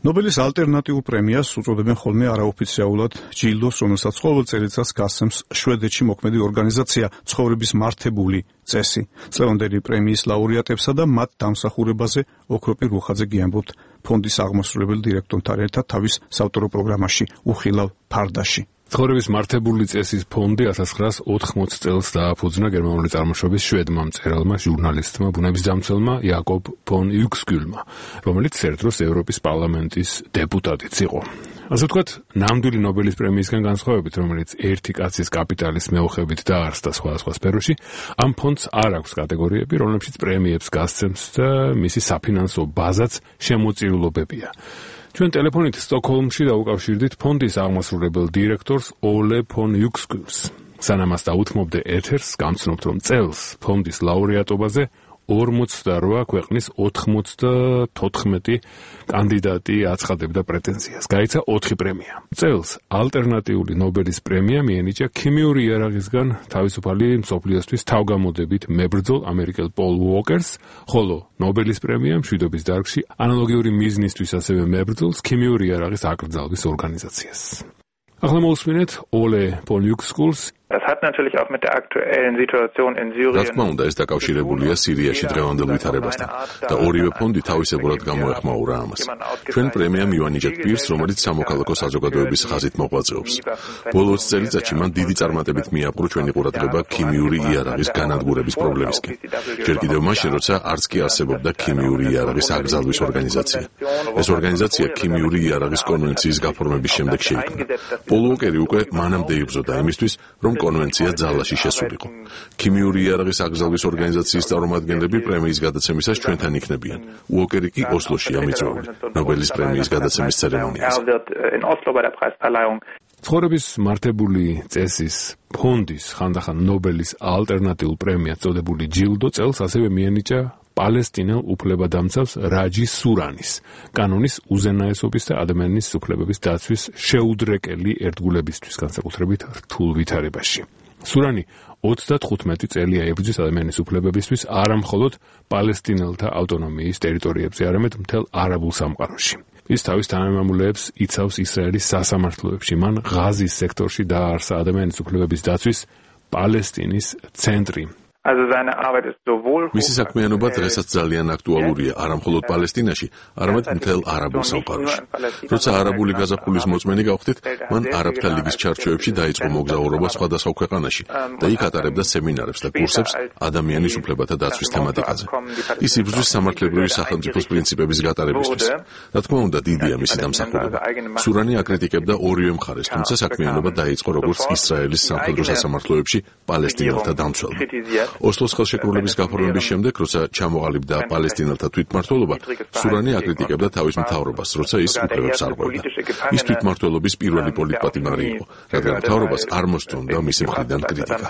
ნობელის ალტერნატიულ პრემიას უწოდებენ ხოლმე არაოფიციალურად ჯილდოს, რომელსაც ყოველ წელიწადს გასცემს შვედეთში მოქმედი ორგანიზაცია ცხოვრების მართებული წესი. წლევანდელი პრემიის ლაურეატებსა და მათ დამსახურებაზე ოქროპი რუხაძე გიამბობთ ფონდის აღმასრულებელი დირექტორთან ერთად თავის საავტორო პროგრამაში უხილავ ფარდაში. ცხოვრების მართებული წესის ფონდი 1980 წელს დააფუძნა გერმანული წარმოშობის შვედმა მწერალმა, ჟურნალისტმა, ბუნებისდამცველმა იაკობ ფონ იუქსკიულმა, რომელიც ერთ დროს ევროპის პარლამენტის დეპუტატიც იყო. ასე ვთქვათ, ნამდვილი ნობელის პრემიისგან განსხვავებით, რომელიც ერთი კაცის კაპიტალის მეოხებით დაარსდა სხვადასხვა სფეროში, ამ ფონდს არ აქვს კატეგორიები, რომლებშიც პრემიებს გასცემს და მისი საფინანსო ბაზაც შემოწირულობებია. ჩვენ ტელეფონით სტოკჰოლმში დაუკავშირდით ფონდის აღმასრულებელ დირექტორს ოლე ფონ იუქსკიულს. სანამ მას დაუთმობდე ეთერს, გამცნობთ, რომ წელს ფონდის ლაურეატობაზე 48 ქვეყნის 94 კანდიდატი აცხადებდა პრეტენზიას. გაიცა 4 პრემია. წელს ალტერნატიული ნობელის პრემია მიენიჭა ქიმიური იარაღისგან თავისუფალი მსოფლიოსთვის თავგამოდებით მებრძოლ ამერიკელ პოლ უოკერს, ხოლო ნობელის პრემია მშვიდობის დარგში ანალოგიური მიზნისთვის ასევე მებრძოლს ქიმიური იარაღის აკრძალვის ორგანიზაციას. ახლა მოусმინეთ Ole von Uexkuls. Das hat natürlich auch mit der aktuellen Situation in Syrien. რა თქმა უნდა, ეს დაკავშირებულია სირიაში დღევანდელ ვითარებასთან და ორივე ფონდი თავისებურად გამოეხმაურა ამას. ჩვენ პრემია მივანიჭეთ პირს, რომელიც სამოქალაქო საზოგადოების ხაზით მოღვაწეობს. ბოლოს წელიწადში მან დიდი წარმატებით მიაპყრო ჩვენი ყურადღება ქიმიური იარაღის განადგურების პრობლემისკენ. ჯერ კიდევ მაშინ, როცა არც კი არსებობდა ქიმიური იარაღის აკრძალვის ორგანიზაცია. ეს ორგანიზაცია ქიმიური იარაღის კონვენციის გაფორმების შემდეგ შეიქმნა. პოლ უოკერი უკვე მანამდე იბრძოდა იმისთვის, რომ კონვენცია ძალაში შესულიყო. ქიმიური იარაღის აკრძალვის ორგანიზაციის წარმომადგენლები პრემიის გადაცემისას ჩვენთან იქნებიან. უოკერი კი ოსლოშია მიწვეული ნობელის პრემიის გადაცემის ცერემონიაზე. ცხოვრების მართებული წესის ფონდის ხანდახან ნობელის ალტერნატიულ პრემიას წოდებული ჯილდო წელს ასევე მიენიჭა პალესტინელ უფლებადამცავს რაჯი სურანის, კანონის უზენაესობის და ადამიანის უფლებების დაცვის შეუდრეკელი ერთგულებისთვის, განსაკუთრებით რთულ ვითარებაში. სურანი 35 წელია ებრძვის ადამიანის უფლებებისთვის არა მხოლოდ პალესტინელთა ავტონომიის ტერიტორიებზე, არამედ მთელ არაბულ სამყაროში. ის თავის თანამემამულეებს იცავს ისრაელის სასამართლოებში. მან ღაზის სექტორში დააარსა ადამიანის უფლებების დაცვის პალესტინის ცენტრი. მისი საქმიანობა დღესაც ძალიან აქტუალურია არა მხოლოდ პალესტინაში, არამედ მთელ არაბულ სამყაროში. როცა არაბული გაზაფხულის მოწმენი გავხდით, მან არაბთა ლიგის ჩარჩოებში დაიწყო მოგზაურობა სხვადასხვა ქვეყანაში და იქ ატარებდა სემინარებს და კურსებს ადამიანის უფლებათა დაცვის თემატიკაზე. ის იბრძვის სამართლებრივი სახელმწიფოს პრინციპების გატარებისთვის. რა თქმა უნდა, დიდია მისი დამსახურება. სურანი აკრიტიკებდა ორივე მხარეს, თუმცა საქმიანობა დაიწყო როგორც ისრაელის სამხედრო სასამართლოებში პალესტინელთა დამცველმა. ოსლოს ხელშეკრულების გაფორმების შემდეგ, როცა ჩამოყალიბდა პალესტინელთა თვითმმართველობა, სურანი აკრიტიკებდა თავის მთავრობას, როცა ის უფლებებს არღვევდა. ის თვითმმართველობის პირველი პოლიტპატიმარი იყო, რადგან მთავრობას არ მოსწონდა მისი მხრიდან კრიტიკა.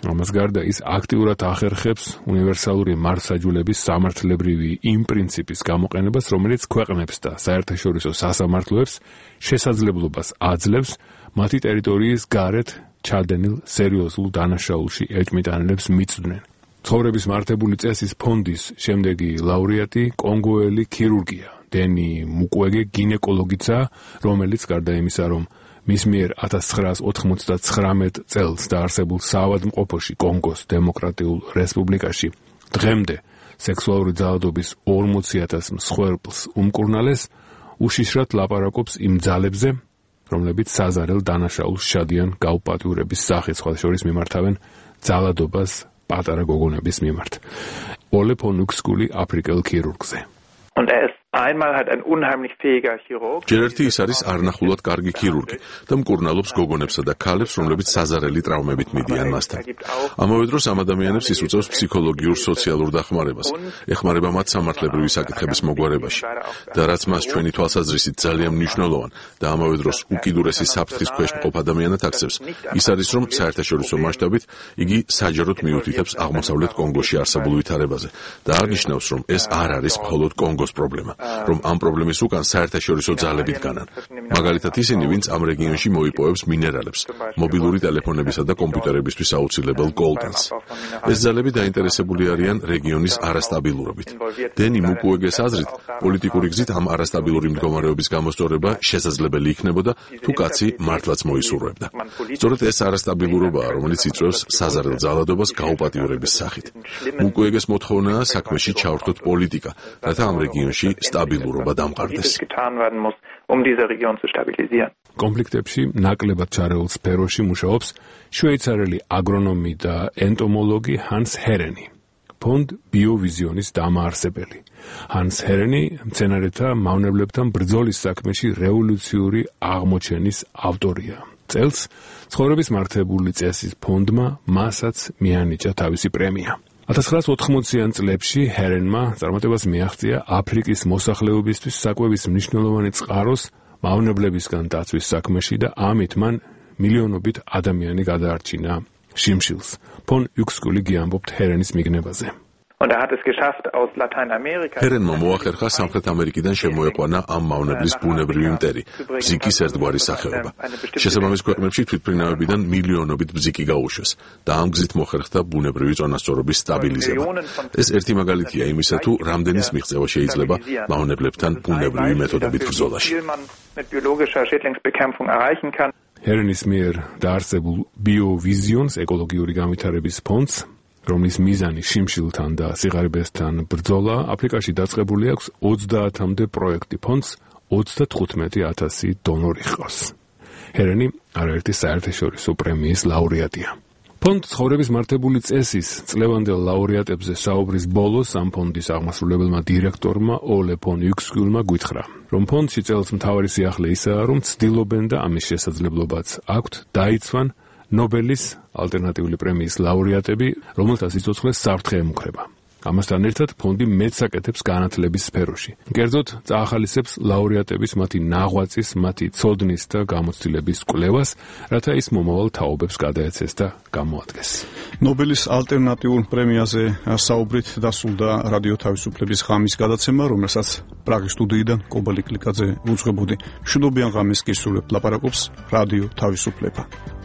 ამას გარდა ის აქტიურად ახერხებს უნივერსალური მართლმსაჯულების სამართლებრივი იმ პრინციპის გამოყენებას, რომელიც ქვეყნებს და საერთაშორისო სასამართლოებს შესაძლებლობას აძლევს მათი ტერიტორიის გარეთ ჩადენილ სერიოზულ დანაშაულში ეჭმიტანილებს მიწვდნენ. ცხოვრების მართებული წესის ფონდის შემდეგი ლაურეატი კონგოელი ქირურგია დენი მუკვეგე გინეკოლოგიცა, რომელიც გარდა იმისა, რომ მის მიერ 1999 წელს დაარსებულ საავადმყოფოში კონგოს დემოკრატიულ რესპუბლიკაში დღემდე სექსუალური ძალადობის 40,000 მსხვერპლს უმკურნალეს, უშიშრად ლაპარაკობს იმ ძალებზე, რომლებიც საზარელ დანაშაულს შადიან გაუპატიურების სახით, სხვა შორის მიმართავენ ძალადობას პატარა გოგონების მიმართ. Ole von Uexkuli აფრიკელ ქირურგზე. ჯერ ერთი ის არის არნახულად კარგი ქირურგი და მკურნალობს გოგონებსა და ქალებს, რომლებიც საზარელი ტრავმებით მიდიან მასთან. ამავე დროს ამ ადამიანებს ის უწევს ფსიქოლოგიურ სოციალურ დახმარებას, ეხმარება მათ სამართლებრივი საკითხების მოგვარებაში და რაც მას ჩვენი თვალსაზრისით ძალიან მნიშვნელოვან და ამავე დროს უკიდურესი საფრთხის ქვეშ მყოფ ადამიანად აქცევს, ის არის, რომ საერთაშორისო მასშტაბით იგი საჯაროდ მიუთითებს აღმოსავლეთ კონგოში არსებულ ვითარებაზე და აღნიშნავს, რომ ეს არ არის მხოლოდ კონგოს პრობლემა, რომ ამ პრობლემის უკან საერთაშორისო ძალები დგანან. მაგალითად ისინი, ვინც ამ რეგიონში მოიპოვებს მინერალებს, მობილური ტელეფონებისა და კომპიუტერებისთვის აუცილებელ კოლტანს. ეს ძალები დაინტერესებული არიან რეგიონის არასტაბილურობით. დენი მუკვეგეს აზრით, პოლიტიკური გზით ამ არასტაბილური მდგომარეობის გამოსწორება შესაძლებელი იქნებოდა, თუ კაცი მართლაც მოისურვებდა. სწორედ ეს არასტაბილურობაა, რომელიც იწვევს საზარელ ძალადობას გაუპატიურების სახით. მუკვეგეს მოთხოვნაა საქმეში ჩავრთოთ პოლიტიკა, რათა ამ რეგიონში სტაბილურობა დამყარდეს. კონფლიქტებში ნაკლებად ჩარეულ სფეროში მუშაობს შვეიცარიელი აგრონომი და ენტომოლოგი ჰანს ჰერენი, ფონდ ბიოვიზიონის დამაარსებელი. ჰანს ჰერენი მცენარეთა მავნებლებთან ბრძოლის საქმეში რევოლუციური აღმოჩენის ავტორია. წელს ცხოვრების მართებული წესის ფონდმა მასაც მიანიჭა თავისი პრემია. 1980-იან წლებში ჰერენმა წარმატებას მიაღწია აფრიკის მოსახლეობისთვის საკვების მნიშვნელოვანი წყაროს მავნებლებისგან დაცვის საქმეში და ამით მან მილიონობით ადამიანი გადაარჩინა შიმშილს. ფონ იუქსკული გიამბობთ ჰერენის მიგნებაზე. ჰერენმა მოახერხა სამხრეთ ამერიკიდან შემოეყვანა ამ მავნებლის ბუნებრივი მტერი, ბზიკის ერთგვარი სახეობა. შესაბამის ქვეყნებში თვითმფრინავებიდან მილიონობით ბზიკი გაუშვეს და ამ გზით მოხერხდა ბუნებრივი წონასწორობის სტაბილიზება. ეს ერთი მაგალითია იმისა, თუ რამდენის მიღწევა შეიძლება მავნებლებთან ბუნებრივი მეთოდებით ბრძოლაში. ჰერენის მიერ დაარსებულ ბიოვიზიონს ეკოლოგიური განვითარების ფონდს, რომლის მიზანი შიმშილთან და სიღარიბესთან ბრძოლა, აფრიკაში დაწყებული აქვს 30-მდე პროექტი ფონდს 35,000 დონორი ჰყავს. ჰერენი არაერთი საერთაშორისო პრემიის ლაურეატია. ფონდ ცხოვრების მართებული წესის წლევანდელ ლაურეატებზე საუბრის ბოლოს ამ ფონდის აღმასრულებელმა დირექტორმა ოლე ფონ იუქსკულმა გითხრა, რომ ფონდში წელს მთავარი სიახლე ისაა, რომ ცდილობენ და ამის შესაძლებლობაც აქვთ დაიცვან ნობელის ალტერნატიული პრემიის ლაურეატები, რომელთაც სიცოცხლე საფრთხე ემუქრება. ამასთან ერთად ფონდი მეც აკეთებს განათლების სფეროში. კერძოდ, წაახალისებს ლაურეატების მათი ნაღვაწის, მათი ცოდნის და გამოცდილების კვლევას, რათა ის მომავალ თაობებს გადაეცეს და გამოადგეს. ნობელის ალტერნატიულ პრემიაზე საუბრით დასრულდა რადიო თავისუფლების ღამის გადაცემა, რომელსაც პრაღის სტუდიიდან კობალი კლიკაძე უძღვებოდი. მშვიდობიან ღამეს გისურვებთ, ლაპარაკობს რადიო თავისუფლება.